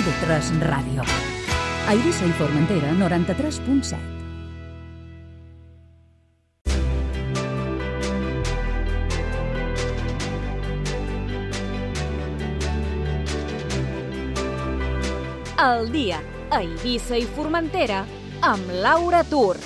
IB3 Ràdio. A Eivissa i Formentera, 93.7. El dia a Eivissa i Formentera amb Laura Tur.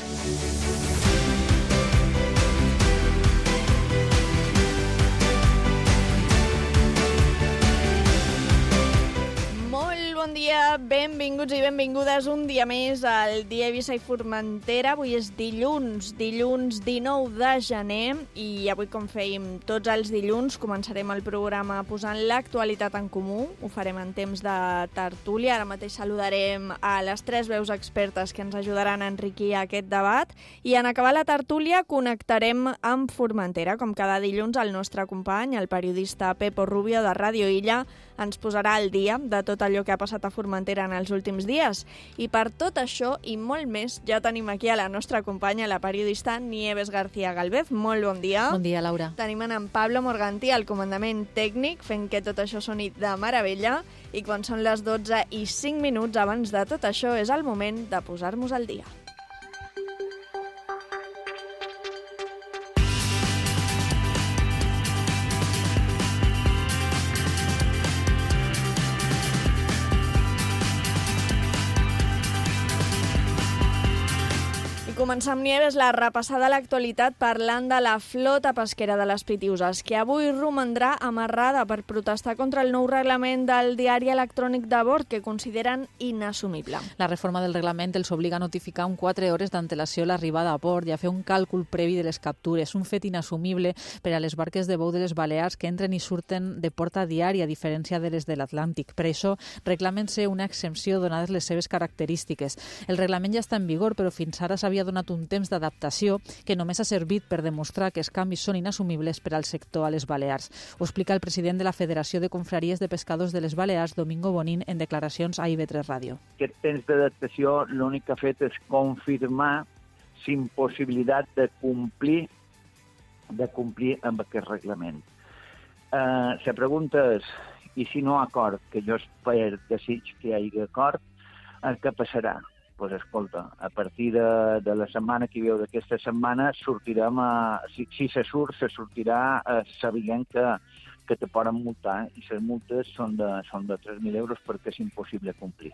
Bon dia, benvinguts i benvingudes un dia més al dia Eivissa i Formentera. Avui és dilluns 19 de gener i avui, com fèiem tots els dilluns, començarem el programa posant l'actualitat en comú. Ho farem en temps de tertúlia. Ara mateix saludarem a les tres veus expertes que ens ajudaran a enriquir aquest debat i en acabar la tertúlia connectarem amb Formentera. Com cada dilluns, el nostre company, el periodista Pepo Rubio de Ràdio Illa, ens posarà al dia de tot allò que ha passat a Formentera en els últims dies. I per tot això i molt més, ja tenim aquí a la nostra companya, la periodista Nieves García Galvez. Molt bon dia. Bon dia, Laura. Tenim en Pablo Morganti, al comandament tècnic, fent que tot això soni de meravella. I quan són les 12 i 5 minuts abans de tot això, és el moment de posar-nos al dia. Començar amb Nieves la repassada a l'actualitat parlant de la flota pesquera de les Pitiuses, que avui romandrà amarrada per protestar contra el nou reglament del diari electrònic de bord, que consideren inassumible. La reforma del reglament els obliga a notificar amb 4 hores d'antelació l'arribada a port i a fer un càlcul previ de les captures, un fet inassumible per a les barques de bou de les Balears que entren i surten de port a diari, a diferència de les de l'Atlàntic. Per això reclamen ser una exempció donades les seves característiques. El reglament ja està en vigor, però fins ara s'havia donat un temps d'adaptació que només ha servit per demostrar que els canvis són inassumibles per al sector a les Balears. Ho explica el president de la Federació de Confraries de Pescadors de les Balears, Domingo Bonín, en declaracions a IB3 Ràdio. Aquest temps d'adaptació l'únic que ha fet és confirmar l'impossibilitat de complir amb aquest reglament. La pregunta és, i si no acord, que jo espero, desig que hi hagi acord, què passarà? Doncs escolta, a partir de la setmana que hi veu d'aquesta setmana, sortirem si se sortirà sabent que te poden multar i les multes són de 3.000 euros perquè és impossible complir.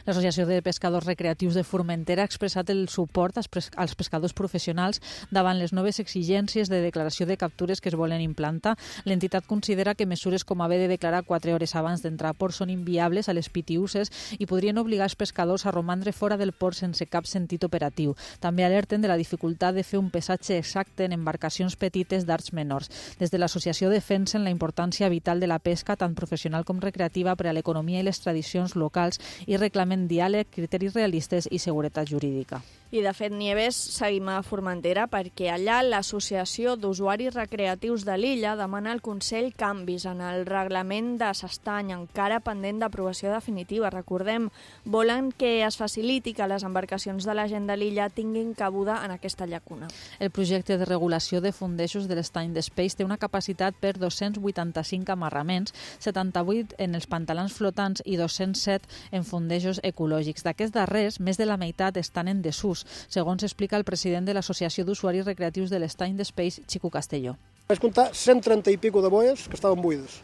L'Associació de Pescadors Recreatius de Formentera ha expressat el suport als pescadors professionals davant les noves exigències de declaració de captures que es volen implantar. L'entitat considera que mesures com haver de declarar 4 hores abans d'entrar a port són inviables a les pitiuses i podrien obligar els pescadors a romandre fora del port sense cap sentit operatiu. També alerten de la dificultat de fer un pesatge exacte en embarcacions petites d'arts menors. Des de l'associació defensen la importància vital de la pesca, tant professional com recreativa, per a l'economia i les tradicions locals i reclamen diàleg, criteris realistes i seguretat jurídica. I, de fet, Nieves, seguim a Formentera perquè allà l'Associació d'Usuaris Recreatius de l'illa demana al Consell canvis en el reglament de s'estany, encara pendent d'aprovació definitiva. Recordem, volen que es faciliti que les embarcacions de la gent de l'illa tinguin cabuda en aquesta llacuna. El projecte de regulació de fondejos de l'estany d'Espeix té una capacitat per 285 amarraments, 78 en els pantalans flotants i 207 en fondejos ecològics. D'aquests darrers, més de la meitat estan en desús, segons explica el president de l'Associació d'Usuaris Recreatius de l'Estany d'Espeix, Xico Castelló. Vaig comptar 130 i pico de boies que estaven buides.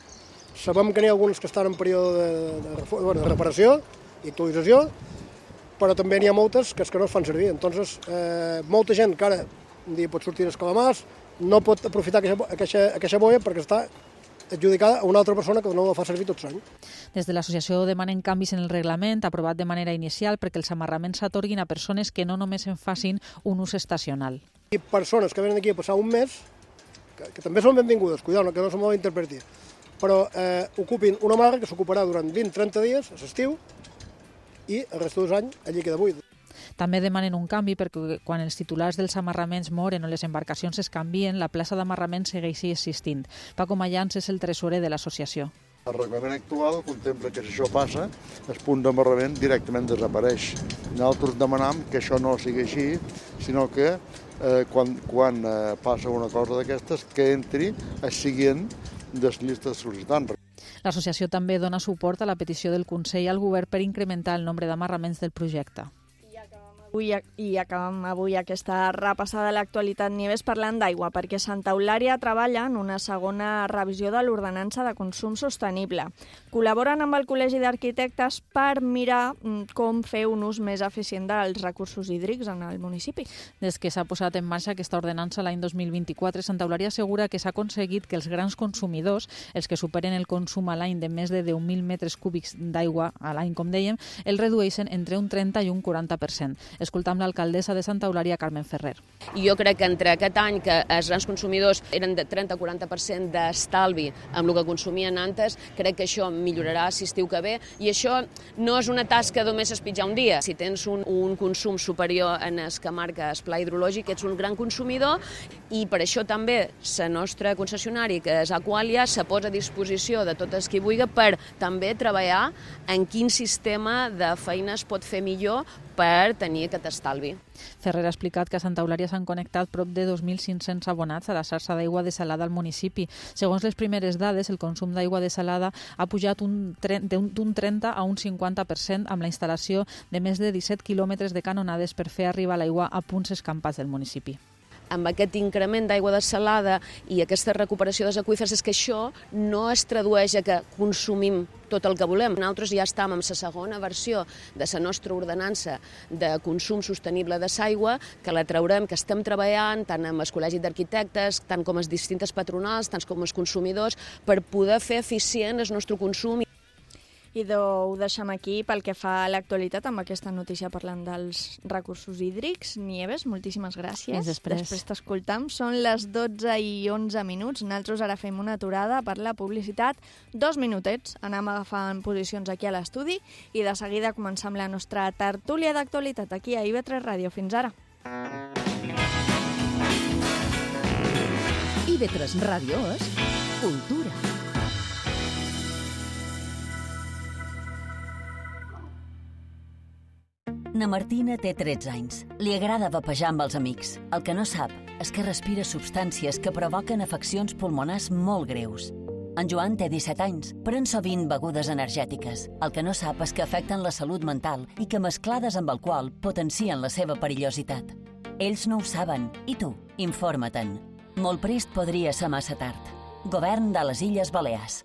Sabem que n'hi ha algunes que estan en període de reparació i actualització, però també n'hi ha moltes que no es fan servir. Entonces, molta gent que ara un dia pot sortir als calamars no pot aprofitar aquesta boia perquè està adjudicada a una altra persona que no la fa servir tot l'any. Des de l'associació demanen canvis en el reglament aprovat de manera inicial perquè els amarraments s'atorguin a persones que no només en facin un ús estacional. I persones que venen aquí a passar un mes, que també són benvingudes, cuidado, que no se malinterpreti, però ocupin una marra que s'ocuparà durant 20-30 dies a l'estiu i el resto dels anys allí queda buida. També demanen un canvi perquè quan els titulars dels amarraments moren o les embarcacions es canvien, la plaça d'amarrament segueixi existint. Paco Mayans és el tresorer de l'associació. El reglament actual contempla que si això passa, el punt d'amarrament directament desapareix. Nosaltres demanam que això no sigui així, sinó que quan passa una cosa d'aquestes, que entri el següent de les llistes sol·licitants. L'associació també dona suport a la petició del Consell al Govern per incrementar el nombre d'amarraments del projecte. I acabem avui aquesta repassada de l'actualitat Nieves parlant d'aigua, perquè Santa Eulària treballa en una segona revisió de l'ordenança de consum sostenible. Col·laboren amb el Col·legi d'Arquitectes per mirar com fer un ús més eficient dels recursos hídrics en el municipi. Des que s'ha posat en marxa aquesta ordenança l'any 2024, Santa Eulària assegura que s'ha aconseguit que els grans consumidors, els que superen el consum a l'any de més de 10.000 metres cúbics d'aigua a l'any, com dèiem, el redueixen entre un 30 i un 40%. Escoltam l'alcaldessa de Santa Eulària, Carmen Ferrer. Jo crec que entre aquest any que els grans consumidors eren de 30-40% d'estalvi amb el que consumien antes, crec que això millorarà si estiu que ve, i això no és una tasca només espitjar un dia. Si tens un consum superior en el que marca el pla hidrològic, ets un gran consumidor, i per això també la nostra concessionària, que és Aqualia, se posa a disposició de tot el qui vulgui per també treballar en quin sistema de feina es pot fer millor per tenir aquest estalvi. Ferrer ha explicat que a Santa Eulària s'han connectat prop de 2.500 abonats a la xarxa d'aigua desalada al municipi. Segons les primeres dades, el consum d'aigua desalada ha pujat d'un 30 a un 50% amb la instal·lació de més de 17 quilòmetres de canonades per fer arribar l'aigua a punts escampats del municipi. Amb aquest increment d'aigua desalada i aquesta recuperació dels aqüífers, és que això no es tradueix a que consumim tot el que volem. Nosaltres ja estem en la segona versió de la nostra ordenança de consum sostenible de l'aigua, que la traurem, que estem treballant tant amb el Col·legi d'Arquitectes, tant com els distintes patronals, tant com els consumidors, per poder fer eficient el nostre consum. I ho deixem aquí pel que fa a l'actualitat amb aquesta notícia parlant dels recursos hídrics. Nieves, moltíssimes gràcies. Després t'escoltam. Són les 12:11. Nosaltres ara fem una aturada per la publicitat. 2 minutets. Anem agafant posicions aquí a l'estudi i de seguida començam la nostra tertúlia d'actualitat aquí a IB3 Ràdio. Fins ara. IB3 Ràdio és cultura. Na Martina té 13 anys. Li agrada vapejar amb els amics. El que no sap és que respira substàncies que provoquen afeccions pulmonars molt greus. En Joan té 17 anys, pren sovint begudes energètiques. El que no sap és que afecten la salut mental i que mesclades amb alcohol potencien la seva perillositat. Ells no ho saben, i tu, informa-te'n. Molt prest podria ser massa tard. Govern de les Illes Balears.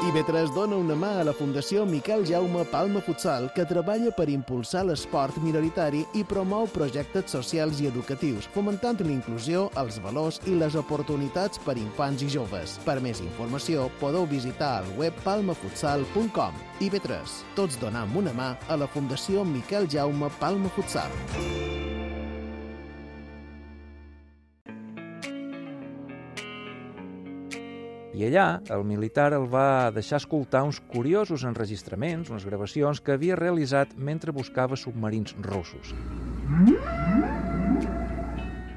IB3 dona una mà a la Fundació Miquel Jaume Palma Futsal, que treballa per impulsar l'esport minoritari i promou projectes socials i educatius, fomentant la inclusió, els valors i les oportunitats per infants i joves. Per més informació, podeu visitar el web palmafutsal.com. IB3, tots donam una mà a la Fundació Miquel Jaume Palma Futsal. I allà, el militar el va deixar escoltar uns curiosos enregistraments, unes gravacions que havia realitzat mentre buscava submarins russos.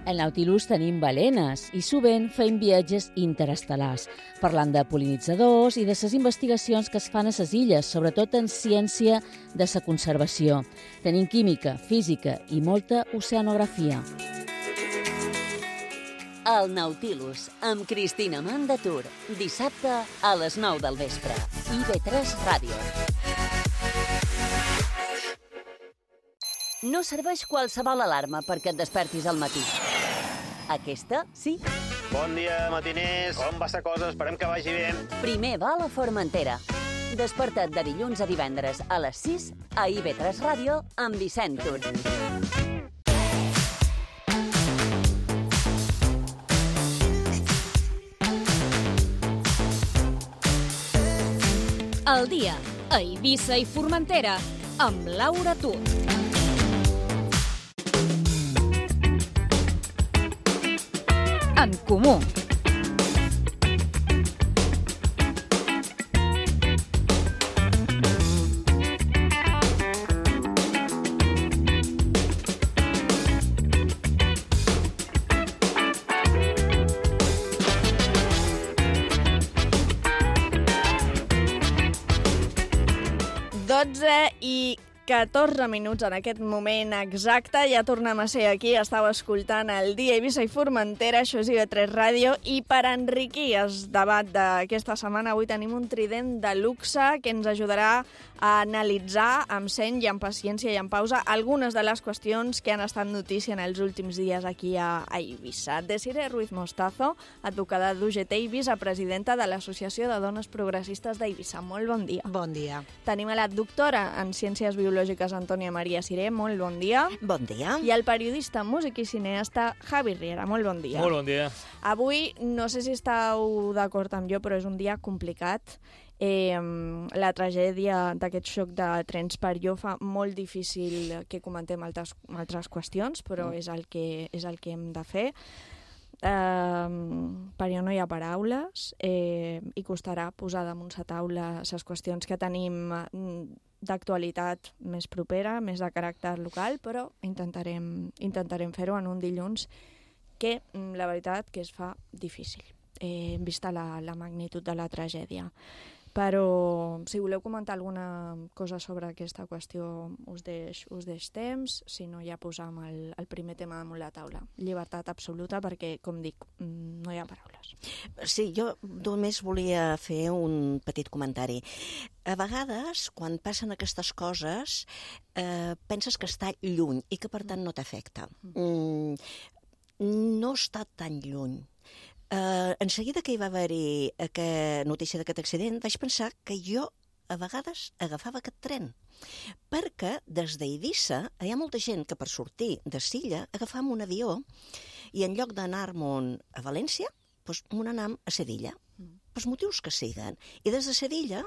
Al Nautilus tenim balenes i sovint fem viatges interestel·lars, parlant de pol·linitzadors i de les investigacions que es fan a les illes, sobretot en ciència de la conservació. Tenim química, física i molta oceanografia. El Nautilus, amb Cristina Mandatur, dissabte a les 9 del vespre. IB3 Ràdio. No serveix qualsevol alarma perquè et despertis al matí. Aquesta, sí. Bon dia, matiners. Com va la cosa? Esperem que vagi bé. Primer vol a Formentera. Desperta't de dilluns a divendres a les 6 a IB3 Ràdio amb Vicent Tur. El dia a Eivissa i Formentera amb Laura Tur. En comú. I 14 minuts en aquest moment exacte. Ja tornem a ser aquí. Estàu escoltant el Dia Eivissa i Formentera. Això és IB3 Ràdio. I per enriquir el debat d'aquesta setmana, avui tenim un trident de luxe que ens ajudarà a analitzar amb seny i amb paciència i amb pausa algunes de les qüestions que han estat notícia en els últims dies aquí a Eivissa. Desiree Ruiz Mostazo, advocada d'UGT Eivissa, presidenta de l'Associació de Dones Progressistes d'Eivissa. Molt bon dia. Bon dia. Tenim a la doctora en Ciències Biològiques Antònia Maria Siré. Molt bon dia. Bon dia. I el periodista, músic i cineasta Javi Riera. Molt bon dia. Molt bon dia. Avui, no sé si esteu d'acord amb jo, però és un dia complicat. La tragèdia d'aquest xoc de trens per jo fa molt difícil que comentem altres qüestions, però és el que hem de fer. Per jo no hi ha paraules i costarà posar damunt la taula les qüestions que tenim d'actualitat més propera, més de caràcter local, però intentarem fer-ho en un dilluns que la veritat que es fa difícil, vista la magnitud de la tragèdia. Però si voleu comentar alguna cosa sobre aquesta qüestió us deix temps, si no ja posam el primer tema damunt la taula. Llibertat absoluta perquè, com dic, no hi ha paraules. Sí, jo només volia fer un petit comentari. A vegades, quan passen aquestes coses, penses que està lluny i que per tant no t'afecta. No està tan lluny. En seguida que hi va haver-hi notícia d'aquest accident, vaig pensar que jo a vegades agafava aquest tren, perquè des d'Eivissa hi ha molta gent que per sortir de Silla agafam un avió i en lloc d'anar-me'n a València, doncs m'on anam a Sevilla, pels motius que siguen. I des de Sevilla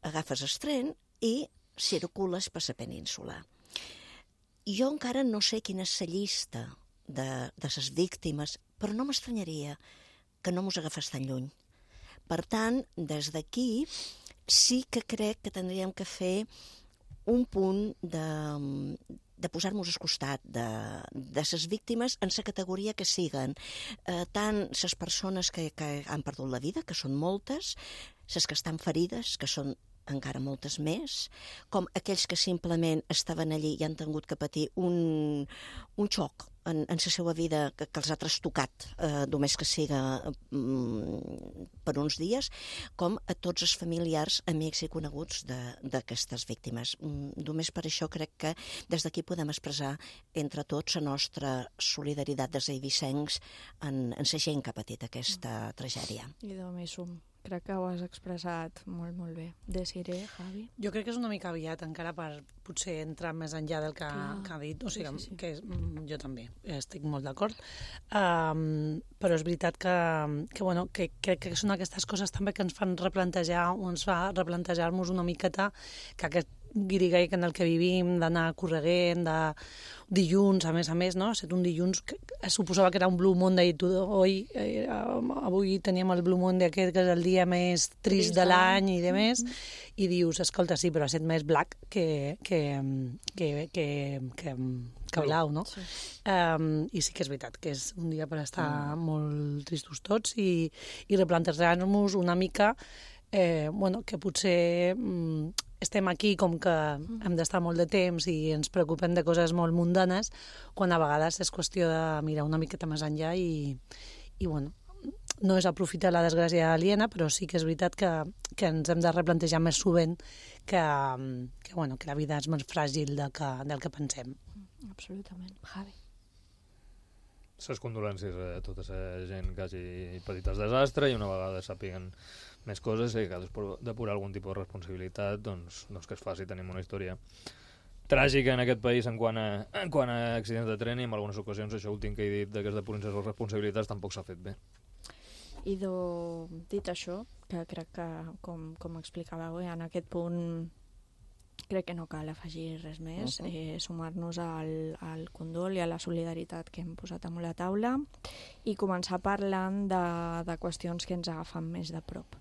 agafes el tren i circules per la península. Jo encara no sé quina és la llista de les víctimes, però no m'estranyaria que no mos agafés tan lluny. Per tant, des d'aquí sí que crec que tindríem que fer un punt de posar-nos al costat de les víctimes en la categoria que siguen. Tant les persones que han perdut la vida, que són moltes, les que estan ferides, que són encara moltes més, com aquells que simplement estaven allí i han tingut que patir un xoc en la seva vida que els ha trastocat, només que siga per uns dies, com a tots els familiars, amics i coneguts d'aquestes víctimes. Només per això crec que des d'aquí podem expressar entre tots la nostra solidaritat dels eivissencs en la gent que ha patit aquesta tragèdia. I de més crec que ho has expressat molt, molt bé. Desiree, Javi? Jo crec que és una mica aviat encara per potser entrar més enllà del que ha dit. O sigui, sí. Que jo també estic molt d'acord. Però és veritat que crec que són aquestes coses també que ens fan replantejar o ens fa replantejar-nos una miqueta que aquest guirigall en el que vivim, d'anar correguent, de dilluns, a més, no? Ha estat un dilluns que suposava que era un Blue Monday, avui teníem el Blue Monday aquest, que és el dia més trist de l'any i de més, i dius, escolta, sí, però ha estat més black que blau, no? Sí. I sí que és veritat que és un dia per estar molt tristos tots i replantejar-nos una mica que potser estem aquí com que hem d'estar molt de temps i ens preocupem de coses molt mundanes, quan a vegades és qüestió de mirar una miqueta més enllà i no és aprofitar la desgràcia aliena, però sí que és veritat que ens hem de replantejar més sovint que la vida és més fràgil del que pensem. Absolutament. Javi. Les condolències a tota la gent que hagi patit el desastre i una vegada sàpiguen més coses i que ha depurar algun tipus de responsabilitat, doncs que es faci. Tenim una història tràgica en aquest país en quant a accidents de tren i en algunes ocasions això últim que he dit que es depurin les responsabilitats tampoc s'ha fet bé. I dit això, que crec que com explicàveu en aquest punt crec que no cal afegir res més, sumar-nos al condol i a la solidaritat que hem posat damunt la taula i començar parlant de qüestions que ens agafen més de prop.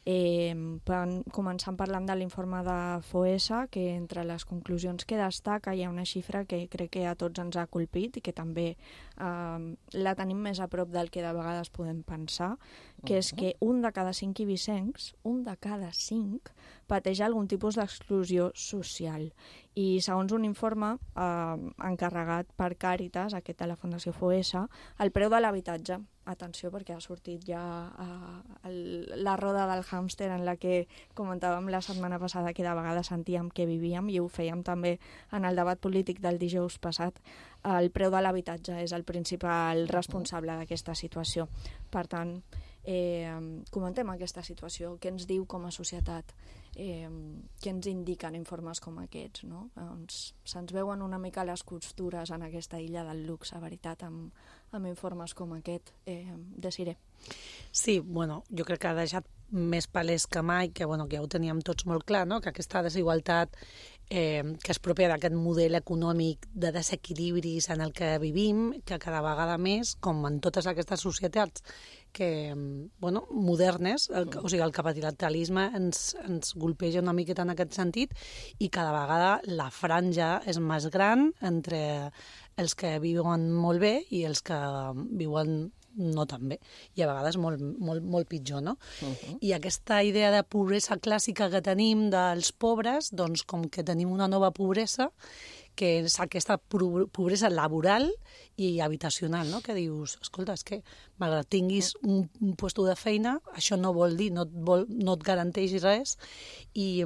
Començant parlant de l'informe de FOESA, que entre les conclusions que destaca hi ha una xifra que crec que a tots ens ha colpit i que també la tenim més a prop del que de vegades podem pensar, que és que un de cada 5 ibicencs, pateix algun tipus d'exclusió social. I segons un informe encarregat per Càritas, aquest de la Fundació FOESA, el preu de l'habitatge, atenció perquè ha sortit ja la roda del hàmster en la que comentàvem la setmana passada que de vegades sentíem que vivíem i ho fèiem també en el debat polític del dijous passat, el preu de l'habitatge és el principal responsable d'aquesta situació. Per tant, comentem aquesta situació, què ens diu com a societat, què ens indiquen informes com aquests, no? Se'ns veuen una mica les costures en aquesta illa del luxe, veritat, amb informes com aquest. Desiré. Sí, bueno, jo crec que ha deixat més palès que mai, que ja ho teníem tots molt clar, no? Que aquesta desigualtat que és pròpia d'aquest model econòmic de desequilibris en el que vivim, que cada vegada més, com en totes aquestes societats que, modernes, o sigui, el capitalisme ens golpeja una miqueta en aquest sentit i cada vegada la franja és més gran entre els que viuen molt bé i els que viuen no tan bé, i a vegades molt pitjor, no? I aquesta idea de pobresa clàssica que tenim dels pobres, doncs com que tenim una nova pobresa, que és aquesta pobresa laboral i habitacional, no? Que dius, escolta, és que malgrat tinguis un lloc de feina, això no vol dir, no et garanteix res, i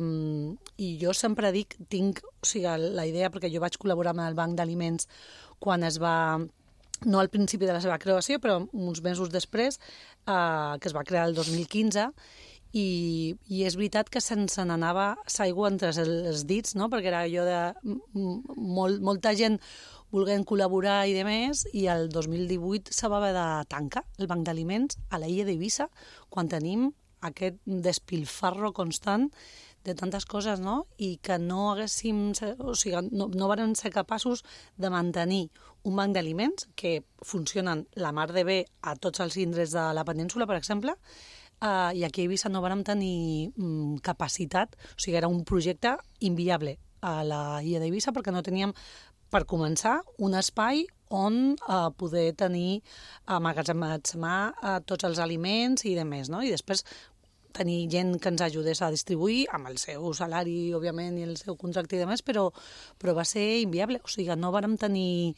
jo sempre dic, la idea, perquè jo vaig col·laborar amb el Banc d'Aliments quan es va, no al principi de la seva creació, però uns mesos després, que es va crear el 2015, i és veritat que se'ns n'anava l'aigua entre els dits, no? Perquè era allò de molta gent volent col·laborar i demés, i el 2018 se va haver de tancar el Banc d'Aliments a l'illa d'Eivissa, quan tenim aquest despilfarro constant de tantes coses, no? I que no haguéssim, no varen ser capaços de mantenir un banc d'aliments que funcionen la mar de bé a tots els indrets de la península, per exemple, i aquí a Eivissa no vàrem tenir capacitat, o sigui, era un projecte inviable a la illa d'Eivissa perquè no teníem, per començar, un espai on poder tenir emmagatzemar tots els aliments i demés, no? I després tenir gent que ens ajudés a distribuir amb el seu salari, òbviament, i el seu contracte i demés, però va ser inviable, o sigui, no vàrem tenir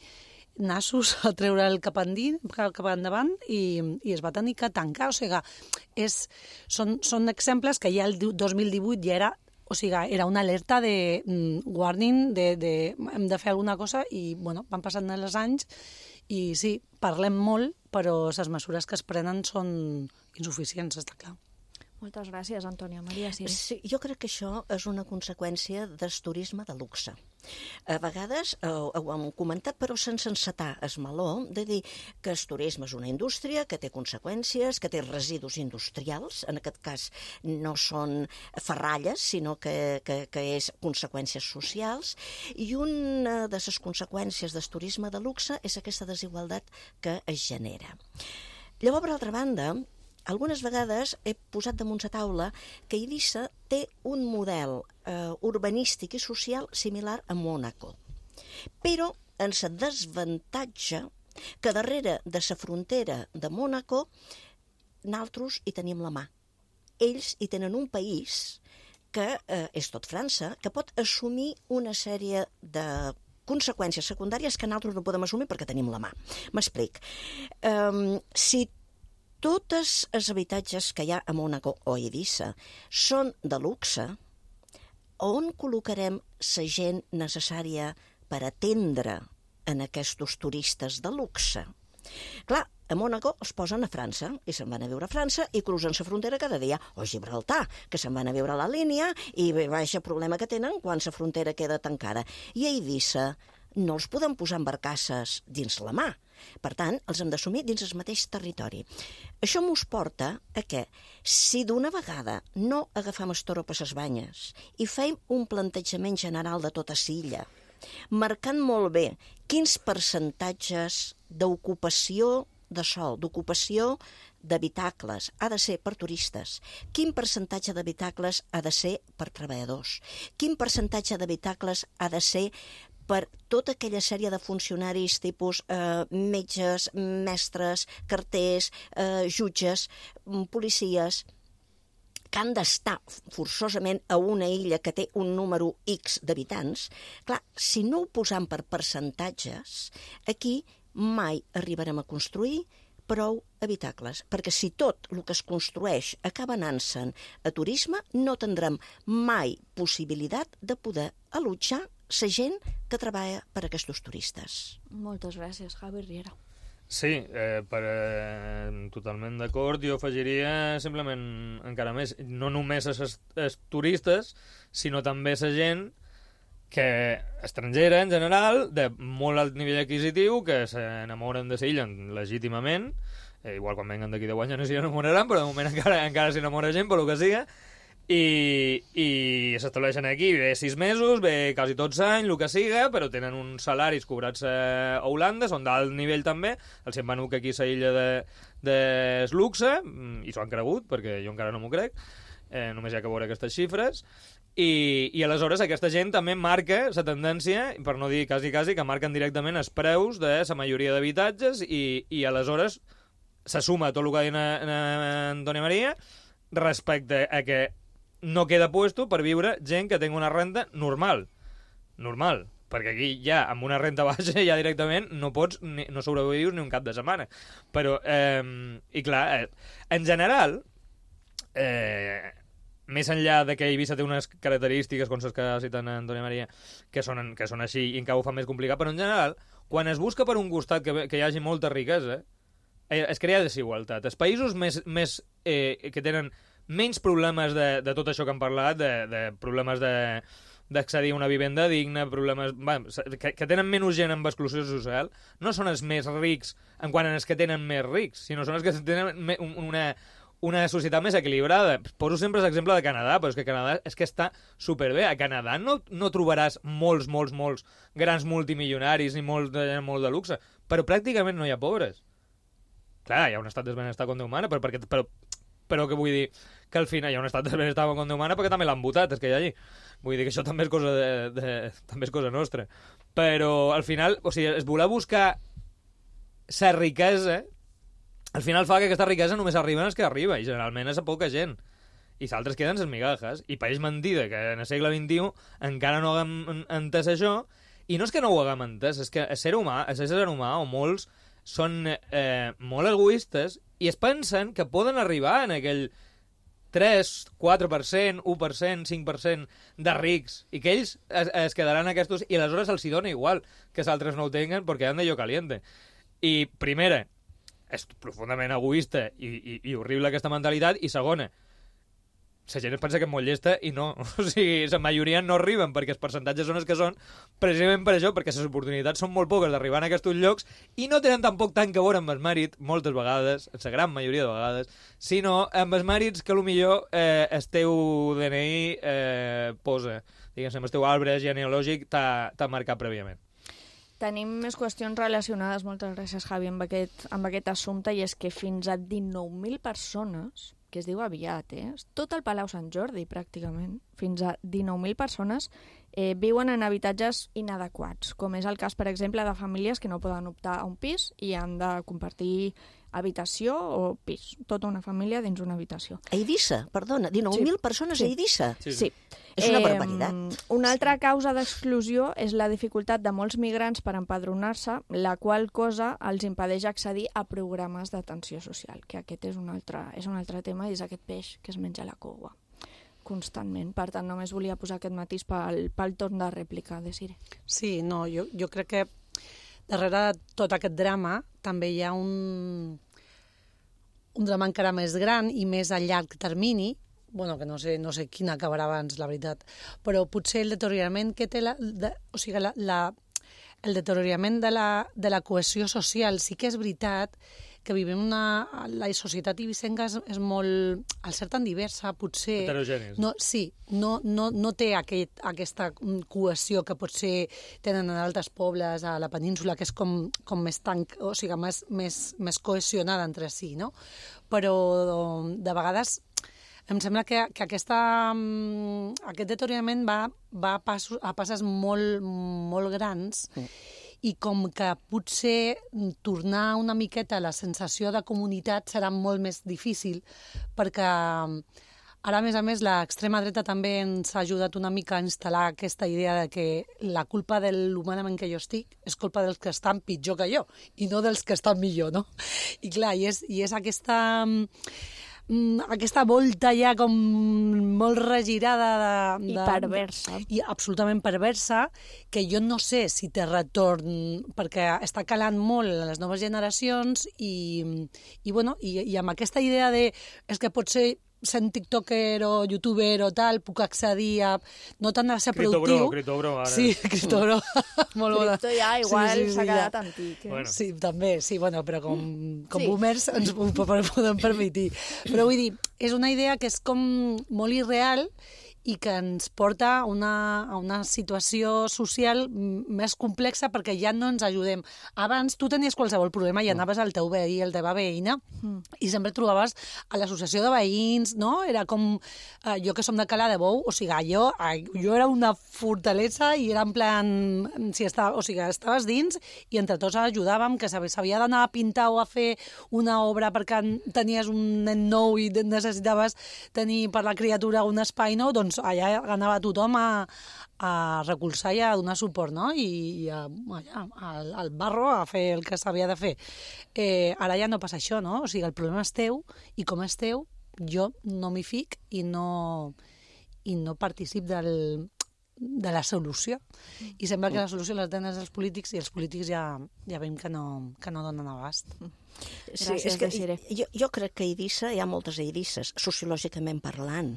nassos a treure'l cap endavant i es va tenir que tancar. O sigui, són exemples que ja el 2018 ja era, o sigui, era una alerta de warning, hem de fer alguna cosa, i van passant els anys i sí, parlem molt, però les mesures que es prenen són insuficients, està clar. Moltes gràcies, Antònia. Maria, sí. Sí, jo crec que això és una conseqüència del turisme de luxe. A vegades ho hem comentat, però sense encetar el meló, de dir que el turisme és una indústria que té conseqüències, que té residus industrials, en aquest cas no són ferralles, sinó que és conseqüències socials, i una de les conseqüències del turisme de luxe és aquesta desigualtat que es genera. Llavors, per altra banda, algunes vegades he posat damunt la taula que Eivissa té un model urbanístic i social similar a Mònaco, però en el desavantatge que darrere de la frontera de Mònaco nosaltres hi tenim la mà. Ells hi tenen un país que és tot França, que pot assumir una sèrie de conseqüències secundàries que nosaltres no podem assumir perquè tenim la mà. M'explic. Si tots els habitatges que hi ha a Mònaco o a Eivissa són de luxe, on col·locarem la gent necessària per atendre en aquests turistes de luxe? Clar, a Mònaco els posen a França i se'n van a viure a França i cruzen la frontera cada dia, o a Gibraltar, que se'n van a viure a la línia i baixa problema que tenen quan la frontera queda tancada. I a Eivissa no els podem posar en barcasses dins la mà. Per tant, els hem d'assumir dins el mateix territori. Això mos porta a que, si d'una vegada no agafem el toro per les banyes i fem un plantejament general de tota l'illa, marcant molt bé quins percentatges d'ocupació de sòl, d'ocupació d'habitacles ha de ser per turistes? Quin percentatge d'habitacles ha de ser per treballadors? Quin percentatge d'habitacles ha de ser per tota aquella sèrie de funcionaris tipus metges, mestres, carters, jutges, policies, que han d'estar forçosament a una illa que té un número X d'habitants. Clar, si no ho posam per percentatges, aquí mai arribarem a construir prou habitacles, perquè si tot el que es construeix acaba anant-se'n a turisme, no tindrem mai possibilitat de poder allotjar la gent que treballa per a aquests turistes. Moltes gràcies, Javi Riera. Sí, totalment d'acord. Jo afegiria simplement encara més, no només els turistes, sinó també la gent que estrangera en general, de molt alt nivell adquisitiu, que s'enamoren de l'illa legítimament, igual quan venguen d'aquí 10 anys ja no s'hi enamoraran, però de moment encara s'enamora gent, per lo que siga, i s'estableixen aquí, ve 6 mesos, ve quasi tots anys, el que siga, però tenen uns salaris cobrats a Holanda, són d'alt nivell també, els hem venut aquí a la illa de luxe, i s'ho han cregut, perquè jo encara no m'ho crec, només hi ha que veure aquestes xifres, i aleshores aquesta gent també marca la tendència, per no dir quasi, que marquen directament els preus de la majoria d'habitatges, i aleshores se suma tot el que ha dit Antònia Maria respecte a que no queda puesto per viure gent que tingui una renta normal, perquè aquí ja amb una renta baixa ja directament no pots, no sobrevius ni un cap de setmana. Però, i clar, en general, més enllà de que Eivissa té unes característiques, com les que ha citat Antònia Maria, que són així i encara ho fa més complicat, però en general, quan es busca per un costat que hi hagi molta riquesa, es crea desigualtat. Els països que tenen menys problemes de tot això que hem parlat, de problemes d'accedir a una vivenda digna, problemes que tenen menys gent amb exclusió social, no són els més rics en quant als que tenen més rics, sinó són els que tenen una societat més equilibrada. Poso sempre l'exemple de Canadà, però és que Canadà és que està superbé. A Canadà no trobaràs molts grans multimilionaris ni molt de luxe, però pràcticament no hi ha pobres. Clar, hi ha un estat de benestar com Déu mana, però que vull dir que al final hi ha un estat de benestar com Déu mana perquè també l'han votat, és que hi ha allí. Vull dir que això també és cosa també és cosa nostra. Però al final, o sigui, es voler buscar la riquesa, al final fa que aquesta riquesa només arriba als que arriba, i generalment és a poca gent. I s'altres queden les migajes. I pareix mentida que en el segle XXI encara no haguem entès això, i no és que no ho haguem entès, és que el ser humà, o molts, són molt egoistes i es pensen que poden arribar en aquell 3, 4%, 1%, 5% de rics i que ells es quedaran aquests i aleshores els hi dona igual que els altres no ho tinguen perquè han de lloc caliente. I primera, és profundament egoista i horrible aquesta mentalitat, i segona, la gent es pensa que és molt llesta i no. O sigui, la majoria no arriben perquè els percentatges són els que són, precisament per això, perquè les oportunitats són molt poques d'arribar a aquests llocs i no tenen tampoc tant que veure amb el mèrit, moltes vegades, la gran majoria de vegades, sinó amb els mèrits que potser el teu DNI posa, diguem-ne, el teu arbre genealògic t'ha marcat prèviament. Tenim més qüestions relacionades, moltes gràcies, Javi, amb aquest assumpte, i és que fins a 19.000 persones, que es diu aviat, tot el Palau Sant Jordi, pràcticament, fins a 19.000 persones viuen en habitatges inadequats, com és el cas, per exemple, de famílies que no poden optar a un pis i han de compartir habitació o pis, tota una família dins una habitació. A Eivissa, perdona, 19.000 persones a Eivissa? Sí. És una barbaritat. Una altra causa d'exclusió és la dificultat de molts migrants per empadronar-se, la qual cosa els impedeix accedir a programes d'atenció social, que aquest és un altre tema, i és aquest peix que es menja la cova constantment. Per tant, només volia posar aquest matís pel torn de rèplica de Sire. Sí, no, jo crec que darrere de tot aquest drama també hi ha un drama encara més gran i més a llarg termini, bueno, que no sé quina acabarà abans, la veritat, però potser el deteriorament que té el deteriorament de la cohesió social. Sí que és veritat que vivim la societat ibicenca és molt, al ser tan diversa, potser... Heterogenis. No té aquesta cohesió que potser tenen en altres pobles a la península, que és com més o sigui, més cohesionada entre si, no? Però de vegades em sembla que aquest deteriorament va a passes molt grans i com que potser tornar una miqueta a la sensació de comunitat serà molt més difícil, perquè ara, a més, l'extrema dreta també ens ha ajudat una mica a instal·lar aquesta idea de que la culpa de l'humanament que jo estic és culpa dels que estan pitjor que jo i no dels que estan millor, no? I clar, i és aquesta volta ja com molt regirada i perversa. I absolutament perversa, que jo no sé si té retorn, perquè està calant molt a les noves generacions i amb aquesta idea de és que potser sent tiktoker o youtuber o tal, puc accedir a no tant a ser productiu. Criptobro, ara. Sí, criptobro. Molt bona. Cripto ja igual s'ha quedat antic. Bueno. Sí, també, sí, però com boomers ens ho podem permetre. Però vull dir, és una idea que és com molt irreal i que ens porta a una situació social més complexa perquè ja no ens ajudem. Abans tu tenies qualsevol problema i anaves al teu veí, al teva veïna, i sempre trobaves a l'associació de veïns, no? Era com, jo que som de Cala de Bou, o sigui, jo era una fortalesa i era en plan, estaves dins i entre tots ajudàvem, que s'havia d'anar a pintar o a fer una obra perquè tenies un nen nou i necessitaves tenir per la criatura un espai nou, doncs allà anava tothom a recolzar i a donar suport, no? I al barro a fer el que s'havia de fer. Ara ja no passa això, no? O sigui, el problema és teu, i com és teu, jo no m'hi fic i no particip de la solució. I sembla que la solució la tenen els polítics i els polítics ja veiem que no donen abast. Sí, és que jo crec que a Eivissa hi ha moltes Eivisses, sociològicament parlant.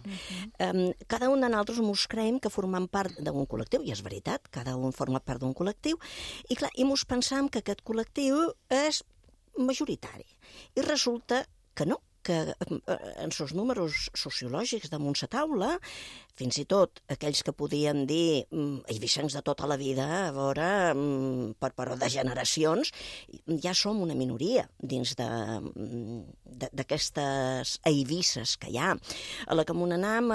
Cada un de nosaltres mos creiem que formem part d'un col·lectiu, i és veritat, cada un forma part d'un col·lectiu, i clar, i mos pensam que aquest col·lectiu és majoritari. I resulta que no, que en els números sociològics damunt la taula, fins i tot aquells que podien dir eivissencs de tota la vida, a veure, però de generacions, ja som una minoria dins d'aquestes eivisses que hi ha. A la que m'onanam,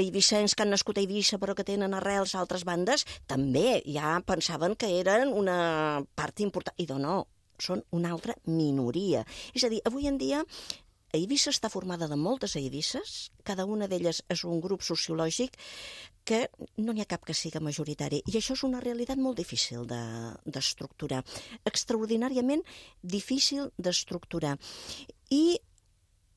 eivissencs que han nascut a Eivissa però que tenen arrels a altres bandes, també ja pensaven que eren una part important. I no, són una altra minoria. És a dir, avui en dia Eivissa està formada de moltes eivisses, cada una d'elles és un grup sociològic que no n'hi ha cap que siga majoritari. I això és una realitat molt difícil d'estructurar, extraordinàriament difícil d'estructurar. I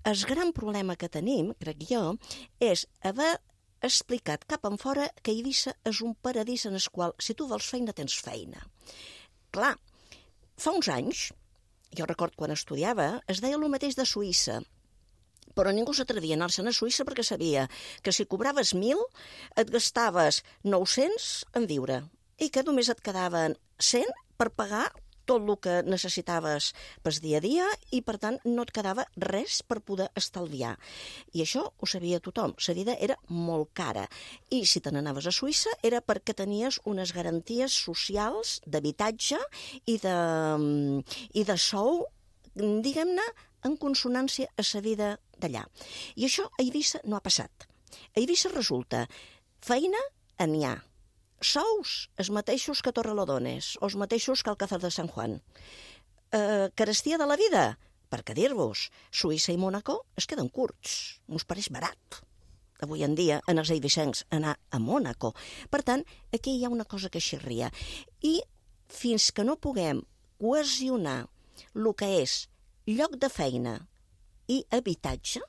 el gran problema que tenim, crec jo, és haver explicat cap enfora que Eivissa és un paradís en el qual, si tu vols feina, tens feina. Clar, fa uns anys, jo recordo quan estudiava, es deia el mateix de Suïssa, però ningú s'atrevia a anar-se'n a Suïssa perquè sabia que si cobraves 1.000 et gastaves 900 en viure i que només et quedaven 100 per pagar tot el que necessitaves pel dia a dia i, per tant, no et quedava res per poder estalviar. I això ho sabia tothom. La vida era molt cara. I si te n'anaves a Suïssa era perquè tenies unes garanties socials d'habitatge i de sou, diguem-ne, en consonància a la vida d'allà. I això a Eivissa no ha passat. A Eivissa resulta feina n'hi ha. Sous, els mateixos que Torrelodones, o els mateixos que Alcázar de San Juan. Carestia de la vida? Per què dir-vos? Suïssa i Mònaco es queden curts. Mos pareix barat, avui en dia, en els eivissencs, anar a Mònaco. Per tant, aquí hi ha una cosa que xirria. I fins que no puguem cohesionar el que és lloc de feina i habitatge,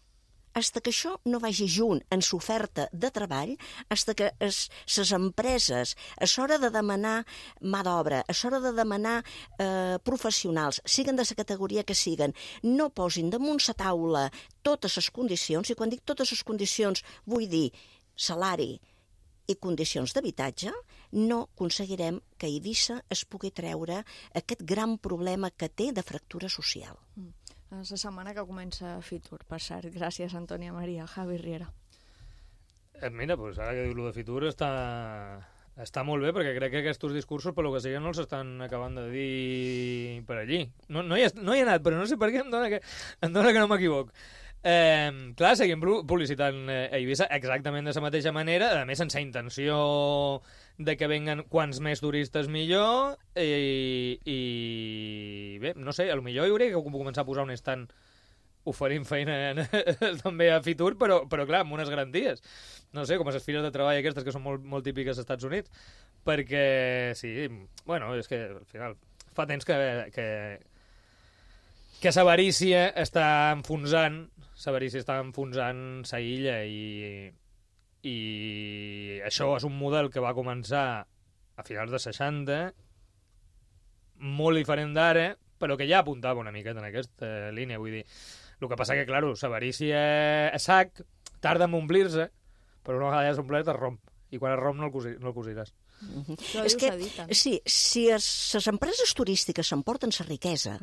fins que això no vagi junt en l'oferta de treball, fins que les empreses, a l'hora de demanar mà d'obra, a l'hora de demanar professionals, siguen de la categoria que siguen, no posin damunt la taula totes les condicions, i quan dic totes les condicions vull dir salari i condicions d'habitatge, no aconseguirem que Eivissa es pugui treure aquest gran problema que té de fractura social. la setmana que comença Fitur, per cert. Gràcies, Antònia Maria. Javi Riera. Mira, doncs ara que diu-lo de Fitur està molt bé, perquè crec que aquests discursos, per lo que sigui, no els estan acabant de dir per allí. No hi he anat, però no sé per què em dona que no m'equivoc. Clar, seguim publicitant a Eivissa exactament de la mateixa manera, a més sense intenció de que venguen quants més turistes millor, i bé, no sé, potser hi hauria que començar a posar un stand oferint feina també a Fitur, però clar, amb unes garanties. No sé, com les fires de treball aquestes que són molt típiques als Estats Units, perquè sí, bueno, és que al final fa temps que l'avarícia està enfonsant sa illa, i això és un model que va començar a finals de 60, molt diferent d'ara, però que ja apuntava una miqueta en aquesta línia, vull dir. El que passa que, clar, l'avarícia a sac tarda en omplir-se, però una vegada ja és omplert es romp, i quan es romp no el cosiràs. És que, sí, si les empreses turístiques s'emporten la riquesa,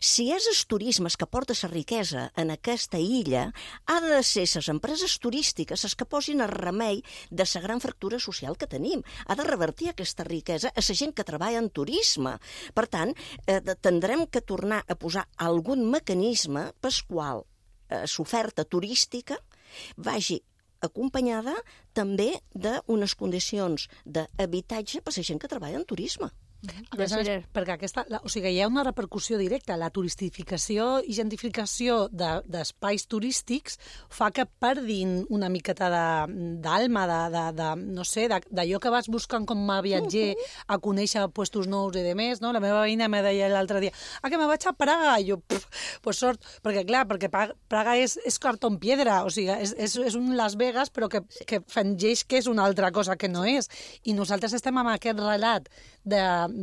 si és el turisme que porta la riquesa en aquesta illa, ha de ser les empreses turístiques les que posin el remei de la gran fractura social que tenim. Ha de revertir aquesta riquesa a la gent que treballa en turisme. Per tant, tindrem que tornar a posar algun mecanisme pel qual l'oferta turística vagi acompanyada també d'unes condicions d'habitatge per a la gent que treballa en turisme. Perquè hi ha una repercussió directa. La turistificació i gentrificació d'espais turístics fa que perdin una miqueta d'alma, no sé, d'allò que vas buscant com a viatger a conèixer puestos nous i de més, no? La meva veïna me deia l'altre dia que me vaig a Praga, i jo, pues sort, perquè Praga és cartón piedra, o sigui, és un Las Vegas, però que fingeix que és una altra cosa que no és. I nosaltres estem amb aquest relat de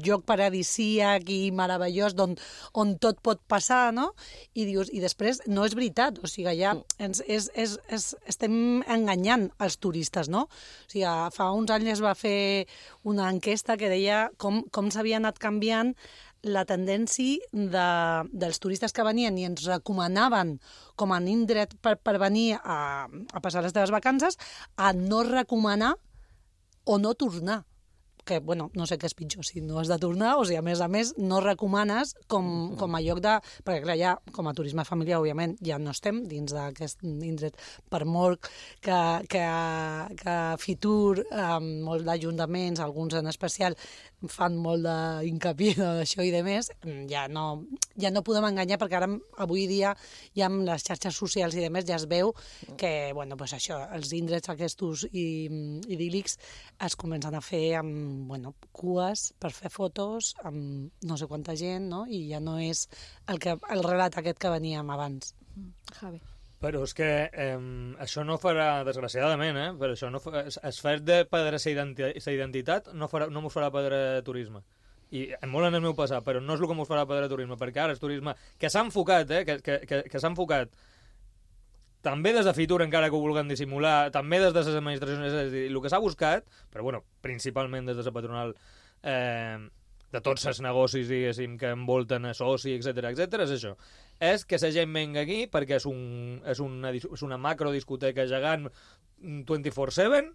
lloc paradisíac i meravellós on tot pot passar, no? I dius, i després no és veritat, o sigui, ja estem enganyant els turistes, no? O sigui, fa uns anys es va fer una enquesta que deia com s'havia anat canviant la tendència dels turistes que venien i ens recomanaven com a indret per venir a passar les teves vacances, a no recomanar o no tornar. Que, bueno, no sé què és pitjor, si no has de tornar o si, a més, no recomanes com a lloc de... Perquè, clar, ja, com a turisme familiar, òbviament, ja no estem dins d'aquest indret, per molt que Fitur, molts d'ajuntaments, alguns en especial, fan molt d'incapié d'això i de més, ja no podem enganyar, perquè ara, avui dia, ja amb les xarxes socials i de més, ja es veu que, bueno, pues això, els indrets aquests idíl·lics es comencen a fer amb cues per fer fotos amb no sé quanta gent, no? I ja no és el relat aquest que veníem abans. Javi. Però és que això no farà, desgraciadament, però això no es fet de perdre sa identitat no mos farà perdre turisme. I molt en el meu passat, però no és el que mos farà perdre turisme, perquè ara el turisme que s'ha enfocat, que s'ha enfocat també des de Fitur, encara que ho vulguin dissimular, també des de les administracions, és a dir, el que s'ha buscat, però bueno, principalment des de la patronal de tots els negocis, diguéssim, que envolten a soci, etc, és això. És que la gent venga aquí perquè és una macrodiscoteca gegant 24/7,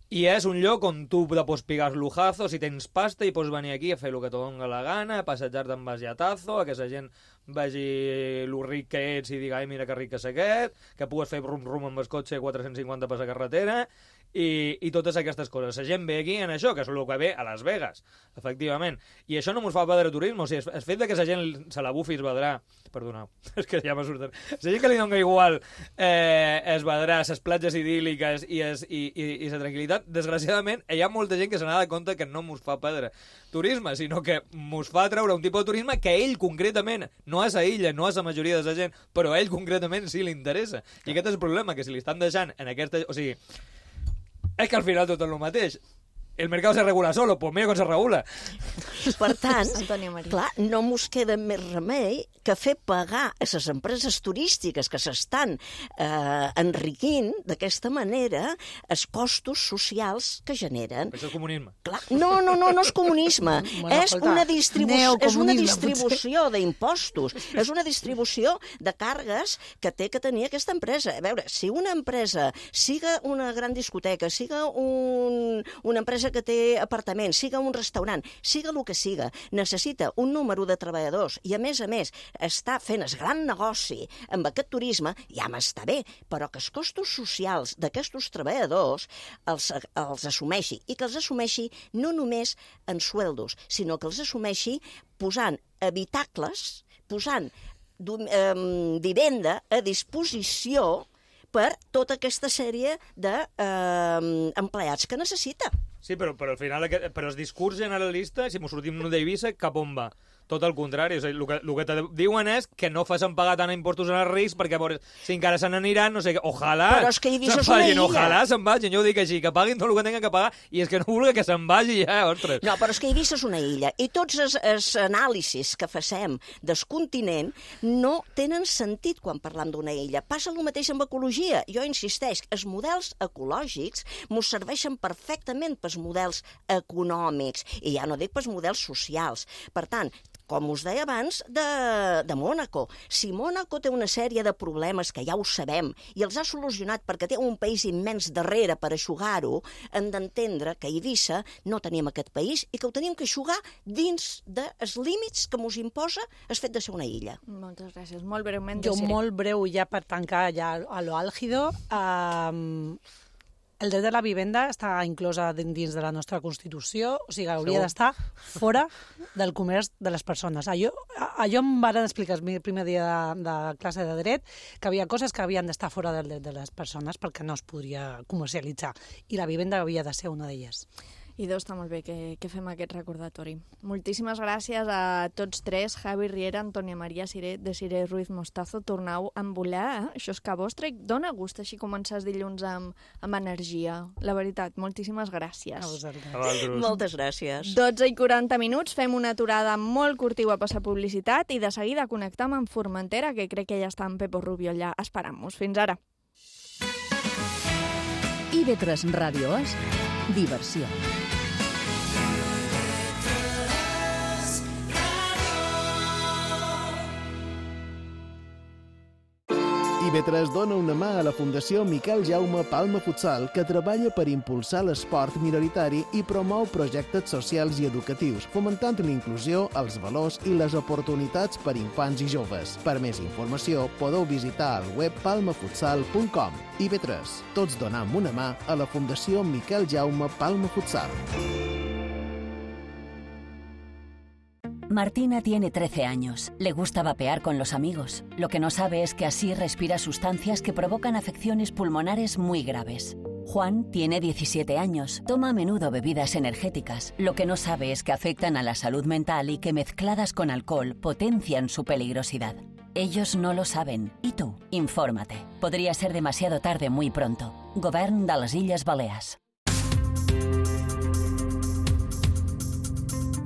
i és un lloc on tu te pots pegar lujazos i tens pasta i pots venir aquí a fer el que te dona la gana, a passejar-te amb basiatazo, a que la gent vegi lo ric que ets i diga, ai, mira que ric que és aquest, que pugues fer rum-rum amb el cotxe 450 per la carretera, i totes aquestes coses. La gent ve aquí en això, que és el que ve a Las Vegas, efectivament. I això no mos fa perdre turisme, o sigui, el fet de que la gent se la bufi es vedrà... Perdoneu, és que ja m'ha sortit. La gent que li dona igual es vedrà les platges idíl·liques i la tranquil·litat, desgraciadament, hi ha molta gent que se n'ha de compte que no mos fa perdre turisme, sinó que mos fa treure un tipus de turisme que ell concretament, no és a illa, no és a la majoria de la gent, però a ell concretament sí li interessa. I aquest és el problema, que si li estan deixant en aquesta... O sigui, és que al final tot és el mateix. el mercado se regula solo, pues mira com se regula. Per tant, Maria. clar, no mos queda més remei que fer pagar a les empreses turístiques que s'estan enriquint d'aquesta manera els costos socials que generen. Això és comunisme. Clar, no és comunisme. És una distribució d'impostos. És una distribució de càrregues que té que tenir aquesta empresa. A veure, si una empresa, siga una gran discoteca, siga una empresa que té apartaments, siga un restaurant, siga el que siga, necessita un número de treballadors i, a més, està fent el gran negoci amb aquest turisme, ja m'està bé, però que els costos socials d'aquests treballadors els assumeixi, i que els assumeixi no només en sueldos, sinó que els assumeixi posant habitacles, posant vivenda a disposició per tota aquesta sèrie d'empleats que necessita. Sí, però al final, però el discurs generalista, si mos sortim d'Eivissa, cap on va? Tot el contrari, o sigui, el que te diuen és que no facin pagar tant impostos als rics perquè si encara se n'aniran, no sé què, ojalà se'n vagin, ojalà se'n vagin, jo ho dic així, que paguin tot el que tenen que pagar i és que no vulgui que se'n vagi ja, ostres. No, però és que Eivissa és una illa i tots els anàlisis que facem del continent no tenen sentit quan parlam d'una illa. Passa el mateix amb ecologia. Jo insisteix, els models ecològics mos serveixen perfectament pels models econòmics i ja no dic pels models socials. Per tant, com us deia abans, de Mònaco. Si Mònaco té una sèrie de problemes que ja ho sabem i els ha solucionat perquè té un país immens darrere per eixugar-ho, hem d'entendre que a Eivissa no tenim aquest país i que ho tenim que eixugar dins dels límits que mos imposa el fet de ser una illa. Moltes gràcies. Molt breument. Jo molt breu, ja per tancar ja a lo àlgido. El dret de la vivenda està inclosa dins de la nostra Constitució, o sigui, hauria d'estar fora del comerç de les persones. Allò em van explicar el primer dia de classe de dret, que havia coses que havien d'estar fora del dret de les persones perquè no es podria comercialitzar, i la vivenda havia de ser una d'elles. I està molt bé que fem aquest recordatori. Moltíssimes gràcies a tots tres, Javi Riera, Antònia Maria Ciret, Desiree Ruiz Mostazo. Tornau a volar, això és que vostre. Dóna gust així començar els dilluns amb energia. La veritat, moltíssimes gràcies. A vosaltres. Moltes gràcies. 12:40, fem una aturada molt curtiva a passar publicitat i de seguida connectam amb Formentera, que crec que ja està en Pepo Rubio allà esperant-nos. Fins ara. IB3 Ràdio és diversió. IB3 dona una mà a la Fundació Miquel Jaume Palma Futsal, que treballa per impulsar l'esport minoritari i promou projectes socials i educatius, fomentant l'inclusió, els valors i les oportunitats per infants i joves. Per més informació, podeu visitar el web palmafutsal.com. IB3, tots donam una mà a la Fundació Miquel Jaume Palma Futsal. Martina tiene 13 años. Le gusta vapear con los amigos. Lo que no sabe es que así respira sustancias que provocan afecciones pulmonares muy graves. Juan tiene 17 años. Toma a menudo bebidas energéticas. Lo que no sabe es que afectan a la salud mental y que mezcladas con alcohol potencian su peligrosidad. Ellos no lo saben. ¿Y tú? Infórmate. Podría ser demasiado tarde muy pronto. Govern de les Illes Balears.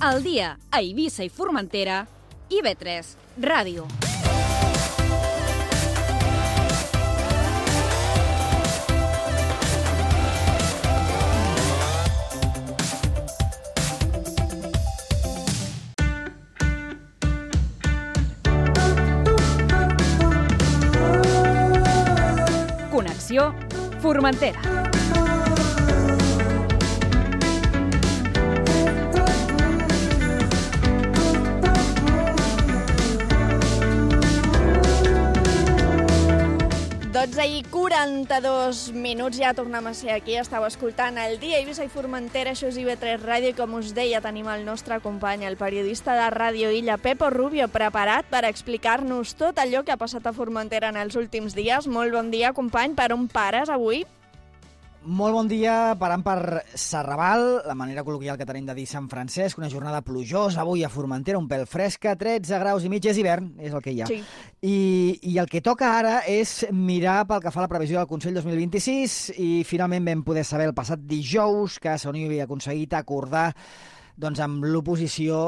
Al dia a Eivissa i Formentera, IB3 Ràdio. Connexió Formentera. I 42 minuts, ja tornem a ser aquí. Estàu escoltant el dia Eivissa i Formentera, això és IB3 Ràdio, i com us deia, tenim el nostre company, el periodista de Ràdio Illa, Pepo Rubio, preparat per explicar-nos tot allò que ha passat a Formentera en els últims dies. Molt bon dia, company. Per on pares avui? Molt bon dia, parant per Serrabal, la manera col·loquial que tenim de dir Sant Francesc, una jornada plujosa avui a Formentera, un pèl fresca, 13 graus i mig, és hivern, és el que hi ha. Sí. I el que toca ara és mirar pel que fa a la previsió del Consell 2026 i finalment vam poder saber el passat dijous que Unió havia aconseguit acordar amb l'oposició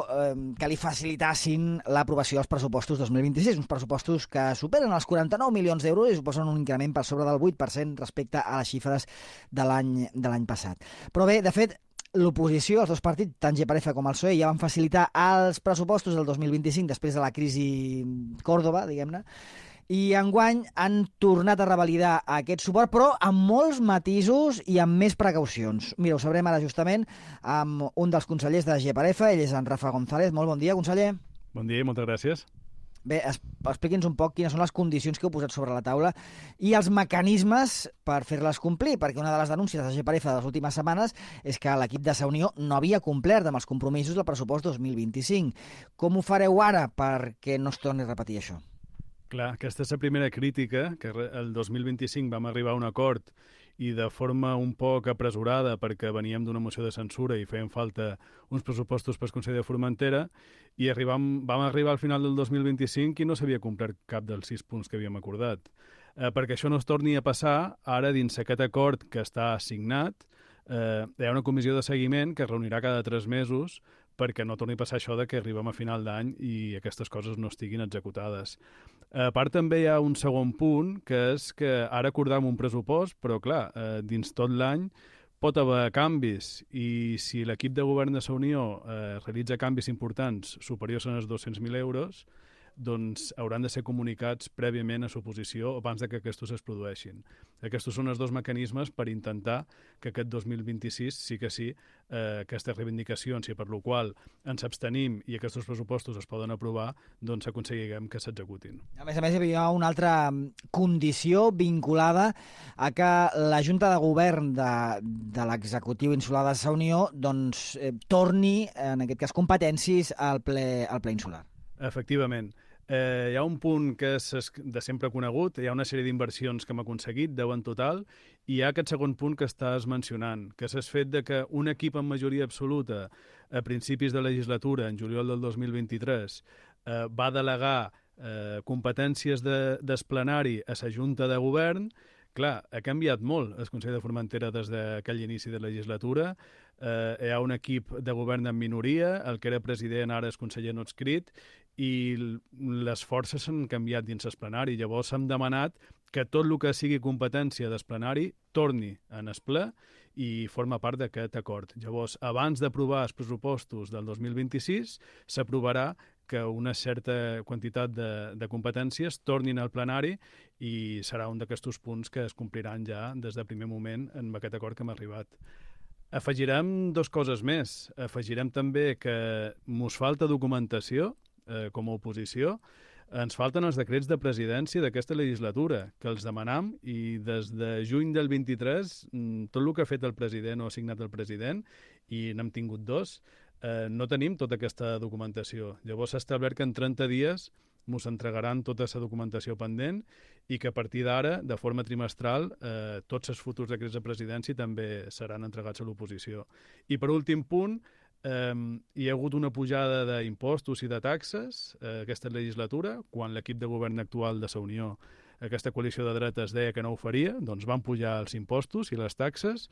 que li facilitassin l'aprovació dels pressupostos 2026, uns pressupostos que superen els 49 milions d'euros i suposen un increment per sobre del 8% respecte a les xifres de l'any passat. Però bé, de fet, l'oposició, els dos partits, tant GPRF com el PSOE, ja van facilitar els pressupostos del 2025 després de la crisi Còrdova, diguem-ne, i enguany han tornat a revalidar aquest suport, però amb molts matisos i amb més precaucions. Mira, ho sabrem ara justament amb un dels consellers de GPRF, ell és en Rafa González. Molt bon dia, conseller. Bon dia i moltes gràcies. Bé, expliqui'ns un poc quines són les condicions que heu posat sobre la taula i els mecanismes per fer-les complir, perquè una de les denúncies de GPRF de les últimes setmanes és que l'equip de Unió no havia complert amb els compromisos del pressupost 2025. Com ho fareu ara perquè no es torni a repetir això? Clar, aquesta és la primera crítica, que el 2025 vam arribar a un acord i de forma un poc apresurada perquè veníem d'una moció de censura i feien falta uns pressupostos pel Consell de Formentera i vam arribar al final del 2025 i no s'havia complert cap dels 6 punts que havíem acordat. Perquè això no es torni a passar, ara dins aquest acord que està signat hi ha una comissió de seguiment que es reunirà cada 3 mesos perquè no torni a passar això de que arribem a final d'any i aquestes coses no estiguin executades. A part, també hi ha un segon punt, que és que ara acordam un pressupost, però, clar, dins tot l'any pot haver canvis i si l'equip de govern de la Unió realitza canvis importants superiors als 200.000 euros, doncs hauran de ser comunicats prèviament a l'oposició abans que aquests es produeixin. Aquests són els dos mecanismes per intentar que aquest 2026 sí que sí, aquestes reivindicacions i per la qual ens abstenim i aquests pressupostos es poden aprovar, doncs aconseguirem que s'executin. A més, hi havia una altra condició vinculada a que la Junta de Govern de l'executiu insular de la Unió doncs, torni, en aquest cas, competències al ple insular. Efectivament. Hi ha un punt que és de sempre conegut, hi ha una sèrie d'inversions que hem aconseguit, 10 en total, i hi ha aquest segon punt que estàs mencionant, que és el fet de que un equip amb majoria absoluta a principis de legislatura, en juliol del 2023, va delegar competències d'esplenari a la Junta de Govern. Clar, ha canviat molt el Consell de Formentera des d'aquell inici de legislatura. Hi ha un equip de govern en minoria, el que era president ara és conseller no adscrit, i les forces s'han canviat dins l'esplenari. Llavors hem demanat que tot el que sigui competència d'esplenari torni en el ple i forma part d'aquest acord. Llavors, abans d'aprovar els pressupostos del 2026, s'aprovarà que una certa quantitat de competències tornin al plenari i serà un d'aquests punts que es compliran ja des del primer moment amb aquest acord que hem arribat. Afegirem 2 coses més. Afegirem també que mos falta documentació com a oposició. Ens falten els decrets de presidència d'aquesta legislatura, que els demanam, i des de juny del 23 tot el que ha fet el president o ha signat el president, i n'hem tingut 2, no tenim tota aquesta documentació. Llavors s'ha establert que en 30 dies ens entregaran tota la documentació pendent i que a partir d'ara, de forma trimestral, tots els futurs decrets de presidència també seran entregats a l'oposició. I per últim punt, hi ha hagut una pujada d'impostos i de taxes aquesta legislatura, quan l'equip de govern actual de la Unió, aquesta coalició de dretes, deia que no ho faria, doncs van pujar els impostos i les taxes,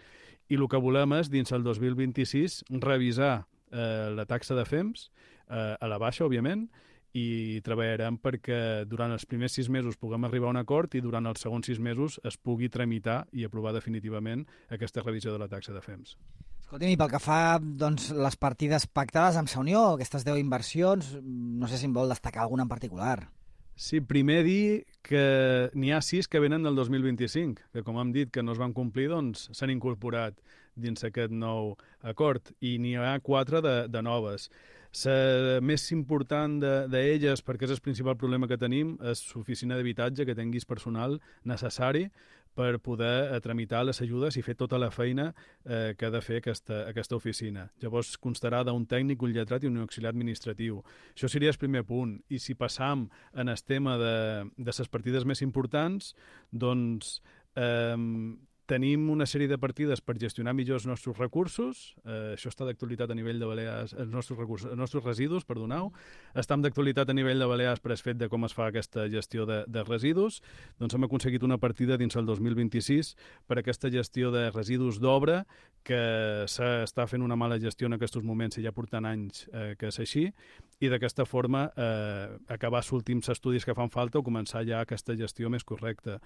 i el que volem és, dins el 2026, revisar la taxa de FEMS, a la baixa, òbviament, i treballarem perquè durant els primers 6 mesos puguem arribar a un acord i durant els segons 6 mesos es pugui tramitar i aprovar definitivament aquesta revisió de la taxa de FEMS. Escolti'm, i pel que fa doncs, les partides pactades amb la Unió, aquestes 10 inversions, no sé si em vol destacar alguna en particular. Sí, primer dir que n'hi ha 6 que venen del 2025, que com hem dit que no es van complir, doncs s'han incorporat dins aquest nou acord, i n'hi ha 4 de noves. La més important d'elles, perquè és el principal problema que tenim, és l'oficina d'habitatge, que tinguis personal necessari per poder tramitar les ajudes i fer tota la feina que ha de fer aquesta oficina. Llavors constarà d'un tècnic, un lletrat i un auxiliar administratiu. Això seria el primer punt. I si passam en el tema de les partides més importants, doncs Tenim una sèrie de partides per gestionar millor els nostres recursos. Això està d'actualitat a nivell de Balears, els nostres residus, perdoneu. Estem d'actualitat a nivell de Balears per el fet de com es fa aquesta gestió de residus. Doncs hem aconseguit una partida dins el 2026 per aquesta gestió de residus d'obra, que s'està fent una mala gestió en aquests moments i ja portant anys que és així, i d'aquesta forma acabar els últims estudis que fan falta o començar ja aquesta gestió més correcta.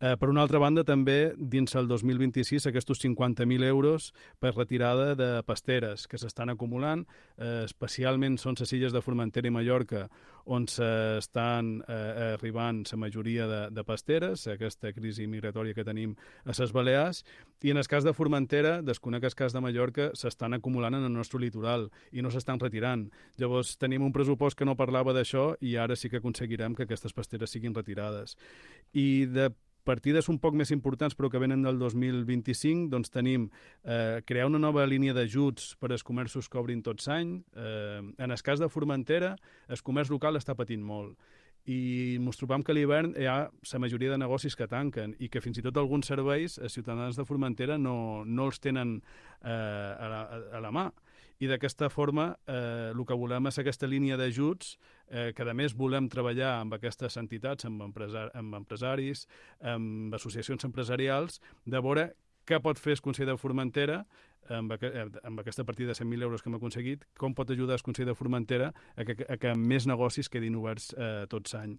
Per una altra banda, també, dins el 2026, aquests 50.000 euros per retirada de pasteres que s'estan acumulant, especialment són les illes de Formentera i Mallorca, on s'estan arribant la majoria de pasteres, aquesta crisi migratòria que tenim a les Balears, i en el cas de Formentera, desconec el cas de Mallorca, s'estan acumulant en el nostre litoral i no s'estan retirant. Llavors, tenim un pressupost que no parlava d'això i ara sí que aconseguirem que aquestes pasteres siguin retirades. I de partides un poc més importants però que venen del 2025, doncs tenim crear una nova línia d'ajuts per als comerços que obrin tots l'any. En el cas de Formentera, el comerç local està patint molt i ens trobam que a l'hivern hi ha la majoria de negocis que tanquen i que fins i tot alguns serveis els ciutadans de Formentera no els tenen a la mà. I d'aquesta forma el que volem és aquesta línia d'ajuts que a més volem treballar amb aquestes entitats, amb empresaris, amb associacions empresarials, de veure què pot fer el Consell de Formentera amb aquesta partida de 100.000 euros que hem aconseguit, com pot ajudar el Consell de Formentera a que més negocis quedin oberts tot l'any.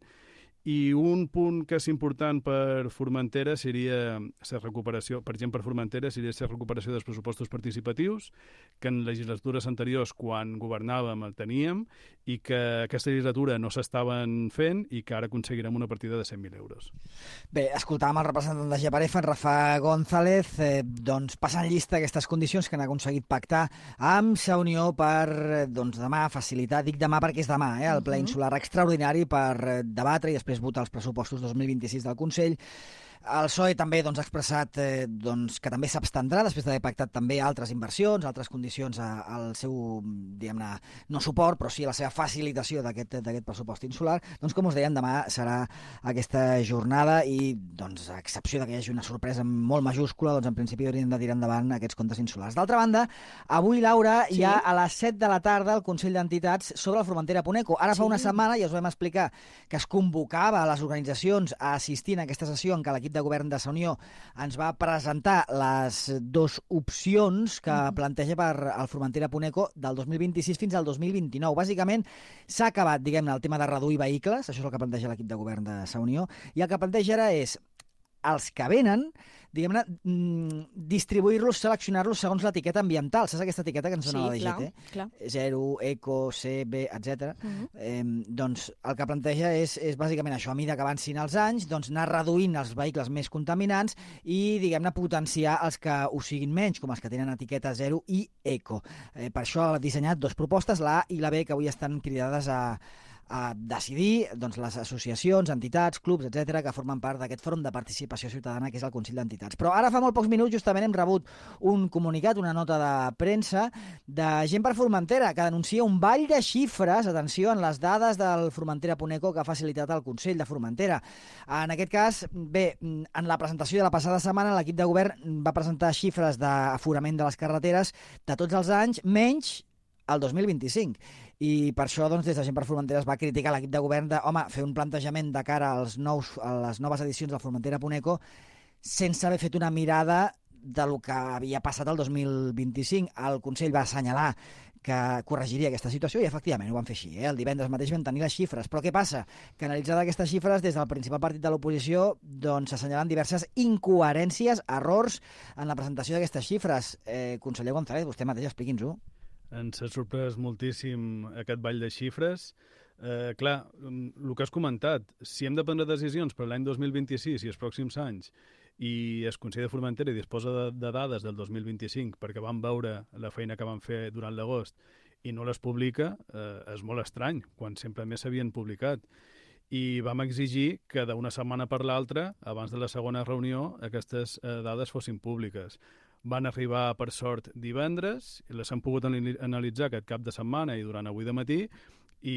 I un punt que és important per Formentera seria la recuperació, per exemple, per Formentera seria la recuperació dels pressupostos participatius, que en legislatures anteriors, quan governàvem, el teníem, i que aquesta legislatura no s'estaven fent i que ara aconseguirem una partida de 100.000 euros. Bé, escoltàvem el representant de Geparefa, en Rafa González, doncs passant llista aquestes condicions que han aconseguit pactar amb la Unió per demà facilitar, dic demà perquè és demà, el ple insular extraordinari per debatre i després votar els pressupostos 2026 del Consell. El PSOE també ha expressat que també s'abstendrà després d'haver pactat també altres inversions, altres condicions al seu, diguem-ne, no suport, però sí a la seva facilitació d'aquest pressupost insular. Doncs, com us deien, demà serà aquesta jornada i, a excepció que hi hagi una sorpresa molt majúscula, en principi haurien de tirar endavant aquests comptes insulars. D'altra banda, avui, Laura, hi ha a les 7 de la tarda el Consell d'Entitats sobre la Formentera Puneco. Ara fa una setmana ja us vam explicar que es convocava a les organitzacions a assistir en aquesta sessió en què l'equip de govern de la Unió ens va presentar les dues opcions que planteja per al Formentera Puneco del 2026 fins al 2029. Bàsicament, s'ha acabat, diguem-ne, el tema de reduir vehicles, això és el que planteja l'equip de govern de la Unió, i el que planteja ara és els que venen, diguem-ne, distribuir-los, seleccionar-los segons l'etiqueta ambiental. Saps aquesta etiqueta que ens dona la DGT? Clar. 0, eco, C, B, etc. Doncs el que planteja és bàsicament això, a mesura que avancin els anys, anar reduint els vehicles més contaminants i, diguem-ne, potenciar els que ho siguin menys, com els que tenen etiqueta 0 i eco. Per això ha dissenyat dues propostes, la A i la B, que avui estan cridades a decidir les associacions, entitats, clubs, etc., que formen part d'aquest fòrum de participació ciutadana que és el Consell d'Entitats. Però ara fa molt pocs minuts justament hem rebut un comunicat, una nota de premsa de Gent per Formentera, que denuncia un ball de xifres, atenció, en les dades del Formentera Puneco que ha facilitat el Consell de Formentera. En aquest cas, bé, en la presentació de la passada setmana l'equip de govern va presentar xifres d'aforament de les carreteres de tots els anys, menys el 2025. I per això, des de Gent per Formentera es va criticar l'equip de govern de, fer un plantejament de cara a les noves edicions del Formentera Puneco sense haver fet una mirada del que havia passat el 2025. El Consell va assenyalar que corregiria aquesta situació i, efectivament, ho van fer així. El divendres mateix vam tenir les xifres. Però què passa? Que analitzada aquestes xifres, des del principal partit de l'oposició, s'assenyalen diverses incoherències, errors en la presentació d'aquestes xifres. Conseller González, vostè mateix expliqui'ns-ho. Ens ha sorprès moltíssim aquest ball de xifres. Clar, el que has comentat, si hem de prendre decisions per l'any 2026 i els pròxims anys i el Consell de Formentera disposa de dades del 2025 perquè van veure la feina que van fer durant l'agost i no les publica, és molt estrany, quan sempre més s'havien publicat. I vam exigir que d'una setmana per l'altra, abans de la segona reunió, aquestes dades fossin públiques. Van arribar, per sort, divendres, i les hem pogut analitzar aquest cap de setmana i durant avui de matí, i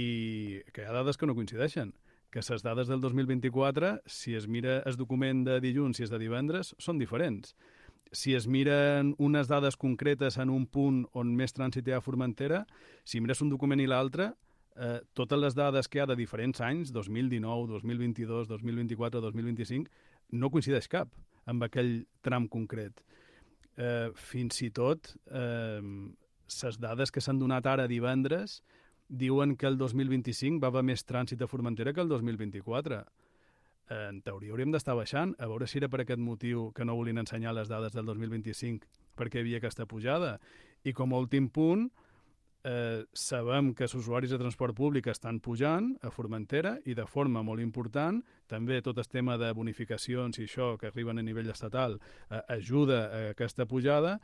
que hi ha dades que no coincideixen, que les dades del 2024, si es mira el document de dilluns i es de divendres, són diferents. Si es miren unes dades concretes en un punt on més trànsit hi ha a Formentera, si mires un document i l'altre, totes les dades que hi ha de diferents anys, 2019, 2022, 2024, 2025, no coincideix cap amb aquell tram concret. Fins i tot, les dades que s'han donat ara divendres diuen que el 2025 va haver més trànsit a Formentera que el 2024. En teoria hauríem d'estar baixant, a veure si era per aquest motiu que no volien ensenyar les dades del 2025 perquè hi havia aquesta pujada. I com a últim punt, sabem que els usuaris de transport públic estan pujant a Formentera i de forma molt important. També tot el tema de bonificacions i això que arriben a nivell estatal ajuda a aquesta pujada,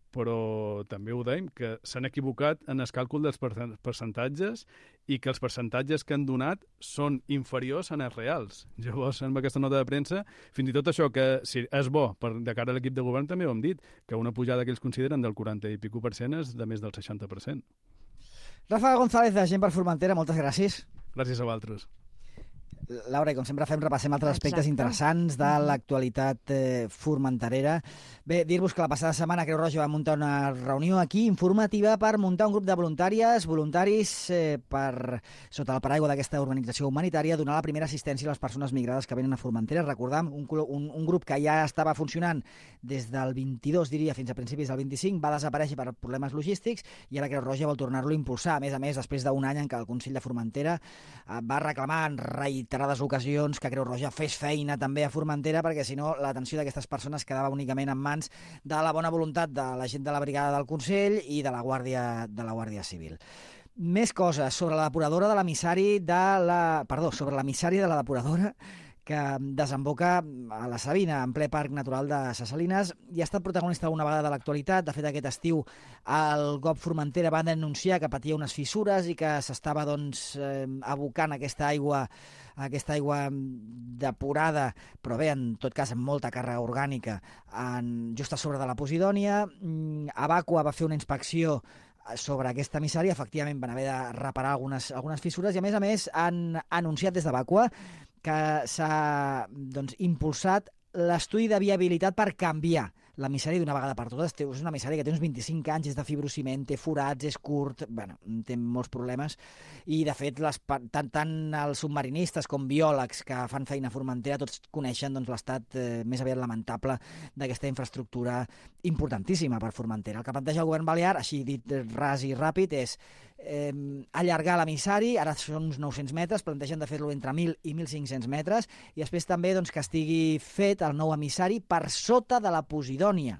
però també ho dèiem, que s'han equivocat en el càlcul dels percentatges i que els percentatges que han donat són inferiors a els reals. Llavors, en aquesta nota de premsa, fins i tot això que si és bo de cara a l'equip de govern, també ho hem dit, que una pujada que ells consideren del 40 i pico % és de més del 60%. Rafa González, de Gent per Formentera, moltes gràcies. Gràcies a vosaltres. Laura, i com sempre repassem altres aspectes interessants de l'actualitat formenterera. Bé, dir-vos que la passada setmana Creu Roja va muntar una reunió aquí informativa per muntar un grup de voluntaris per, sota el paraigua d'aquesta organització humanitària, donar la primera assistència a les persones migrades que venen a Formentera. Recordam, un grup que ja estava funcionant des del 22, diria, fins a principis del 25, va desaparèixer per problemes logístics i ara Creu Roja vol tornar-lo a impulsar. A més, després d'un any en què el Consell de Formentera va reclamar en reiterades ocasions que Creu Roja fes feina també a Formentera, perquè si no l'atenció d'aquestes persones quedava únicament en mans de la bona voluntat de la gent de la brigada del Consell i de la Guàrdia Civil. Més coses sobre la depuradora de l'emissari sobre l'emissari de la depuradora que desemboca a la Sabina, en ple Parc Natural de Ses Salines, i ha estat protagonista una vegada de l'actualitat. De fet, aquest estiu el GOP Formentera va denunciar que patia unes fissures i que s'estava abocant aquesta aigua depurada, però bé, en tot cas amb molta càrrega orgànica, just a sobre de la Posidònia. Abaqua va fer una inspecció sobre aquest emissari, efectivament van haver de reparar algunes fissures i a més han anunciat des d'Abaqua que s'ha impulsat l'estudi de viabilitat per canviar l'emissari d'una vegada per totes. És un emissari que té uns 25 anys, és de fibrociment, té forats, és curt, té molts problemes i de fet tant els submarinistes com biòlegs que fan feina a Formentera tots coneixen l'estat més aviat lamentable d'aquesta infraestructura importantíssima per Formentera. El que planteja el govern balear, així dit ras i ràpid, és allargar l'emissari, ara són uns 900 metres, plantegen de fer-lo entre 1.000 i 1.500 metres, i després també que estigui fet el nou emissari per sota de la Posidònia.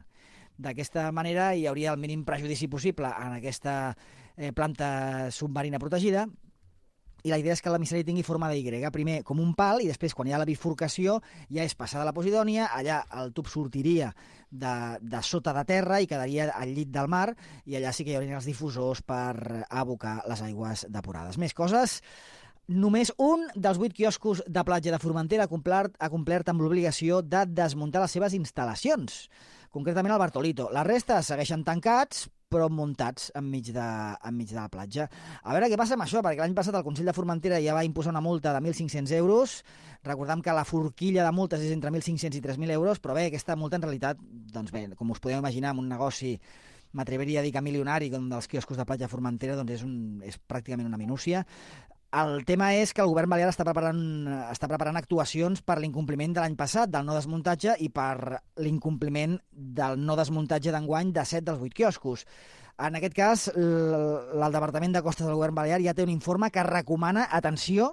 D'aquesta manera hi hauria el mínim prejudici possible en aquesta planta submarina protegida, i la idea és que l'emissari tingui forma de Y, primer com un pal, i després, quan hi ha la bifurcació, ja és passar de la Posidònia, allà el tub sortiria de sota de terra i quedaria al llit del mar, i allà sí que hi haurien els difusors per abocar les aigües depurades. Més coses. Només un dels 8 quioscos de platja de Formentera ha complert amb l'obligació de desmuntar les seves instal·lacions, concretament el Bartolito. La resta segueixen tancats, però muntats enmig de la platja. A veure què passa amb això, perquè l'any passat el Consell de Formentera ja va imposar una multa de 1.500 euros. Recordem que la forquilla de multes és entre 1.500 i 3.000 euros, però bé, aquesta multa en realitat, com us podeu imaginar, en un negoci, m'atreviria a dir que milionari, com dels quioscos de platja de Formentera, és pràcticament una minúcia. El tema és que el govern balear està preparant actuacions per l'incompliment de l'any passat del no desmuntatge i per l'incompliment del no desmuntatge d'enguany de 7 dels 8 quioscos. En aquest cas, el Departament de Costes del govern balear ja té un informe que recomana, atenció,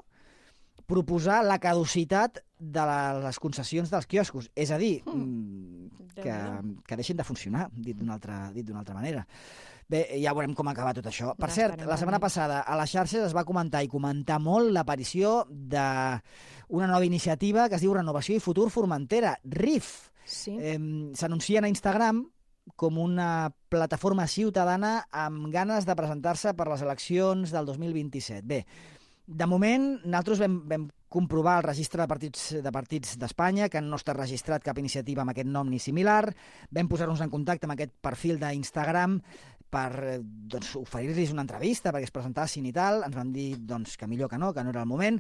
proposar la caducitat de les concessions dels quioscos. És a dir, que deixin de funcionar, dit d'una altra manera. Bé, ja veurem com acaba tot això. Per cert, la setmana passada a les xarxes es va comentar molt l'aparició d'una nova iniciativa que es diu Renovació i Futur Formentera, RIF. S'anuncien a Instagram com una plataforma ciutadana amb ganes de presentar-se per les eleccions del 2027. Bé, de moment, nosaltres vam comprovar el registre de partits d'Espanya, que no està registrat cap iniciativa amb aquest nom ni similar. Vam posar-nos en contacte amb aquest perfil d'Instagram per oferir-los una entrevista perquè es presentassin i tal. Ens van dir que millor que no era el moment.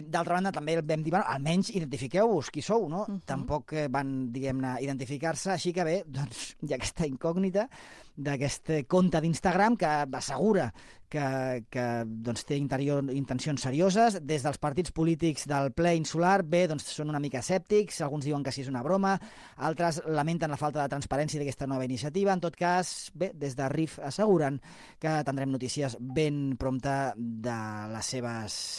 D'altra banda, també vam dir, bueno, almenys identifiqueu-vos qui sou, no? Tampoc van, diguem-ne, identificar-se, així que bé, doncs hi ha aquesta incògnita d'aquest compte d'Instagram que assegura que doncs, té intencions serioses. Des dels partits polítics del ple insular, bé, doncs són una mica escèptics, alguns diuen que sí és una broma, altres lamenten la falta de transparència d'aquesta nova iniciativa. En tot cas, bé, des de RIF asseguren que tindrem notícies ben prompte de les seves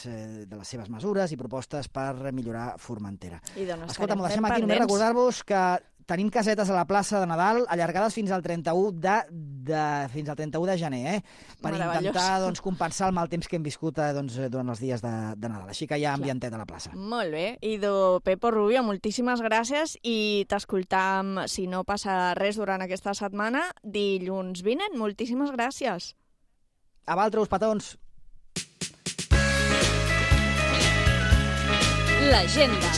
mesures i propostes per millorar Formentera. Escolta, m'ho deixem aquí, només recordar-vos que tenim casetes a la plaça de Nadal allargades fins al 31 de gener, per intentar doncs, compensar el mal temps que hem viscut durant els dies de Nadal. Així que hi ha ambientet a la plaça. Molt bé. Idò Pepo Rubio, moltíssimes gràcies i t'escoltam, si no passa res durant aquesta setmana, dilluns vinent. Moltíssimes gràcies. A vosaltres, petons. L'agenda.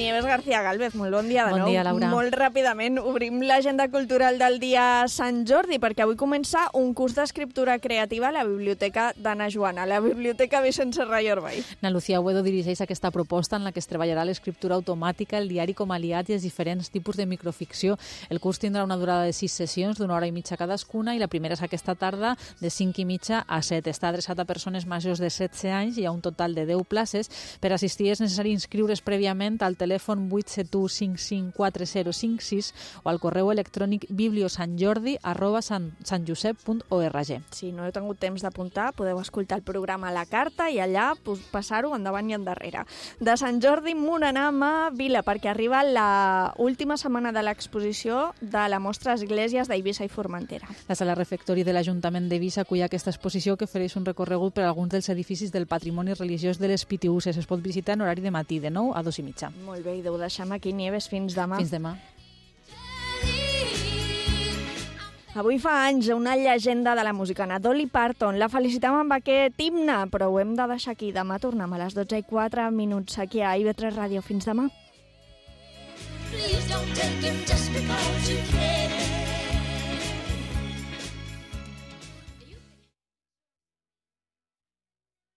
Nieves García Gálvez, molt bon dia de nou. Bon dia, Laura. Molt ràpidament obrim l'agenda cultural del dia Sant Jordi, perquè avui comença un curs d'escriptura creativa a la Biblioteca d'Anna Joana, la Biblioteca Vicent Serra i Orbay. Na Lucía Uedo dirigeix aquesta proposta en la que es treballarà l'escriptura automàtica, el diari com a aliat i els diferents tipus de microficció. El curs tindrà una durada de 6 sessions d'una hora i mitja cadascuna i la primera és aquesta tarda de 5:30 a 7. Està adreçat a persones majors de 16 anys i hi ha un total de 10 places. Per assistir és necessari inscriure's prèviament al telèfon 871554056 o al correu electrònic bibliosantjordi@santjosep.org. Si no heu tingut temps d'apuntar, podeu escoltar el programa a la carta i allà passar-ho endavant i endarrere. De Sant Jordi m'on anem a Vila, perquè arriba la última setmana de l'exposició de la mostra Esglésies d'Eivissa i Formentera. La sala refectori de l'Ajuntament d'Eivissa acull aquesta exposició que ofereix un recorregut per alguns dels edificis del patrimoni religiós de les Pitiüses. Es pot visitar en horari de matí, de 9 a 2:30. Molt bé, i ho deixem aquí, Nieves, fins demà. Fins demà. Avui fa anys una llegenda de la música, Dolly Parton. La felicitem amb aquest himne, però ho hem de deixar aquí. Demà tornem a les 12:04 aquí a IB3 Ràdio. Fins demà. Please don't take him just because you can.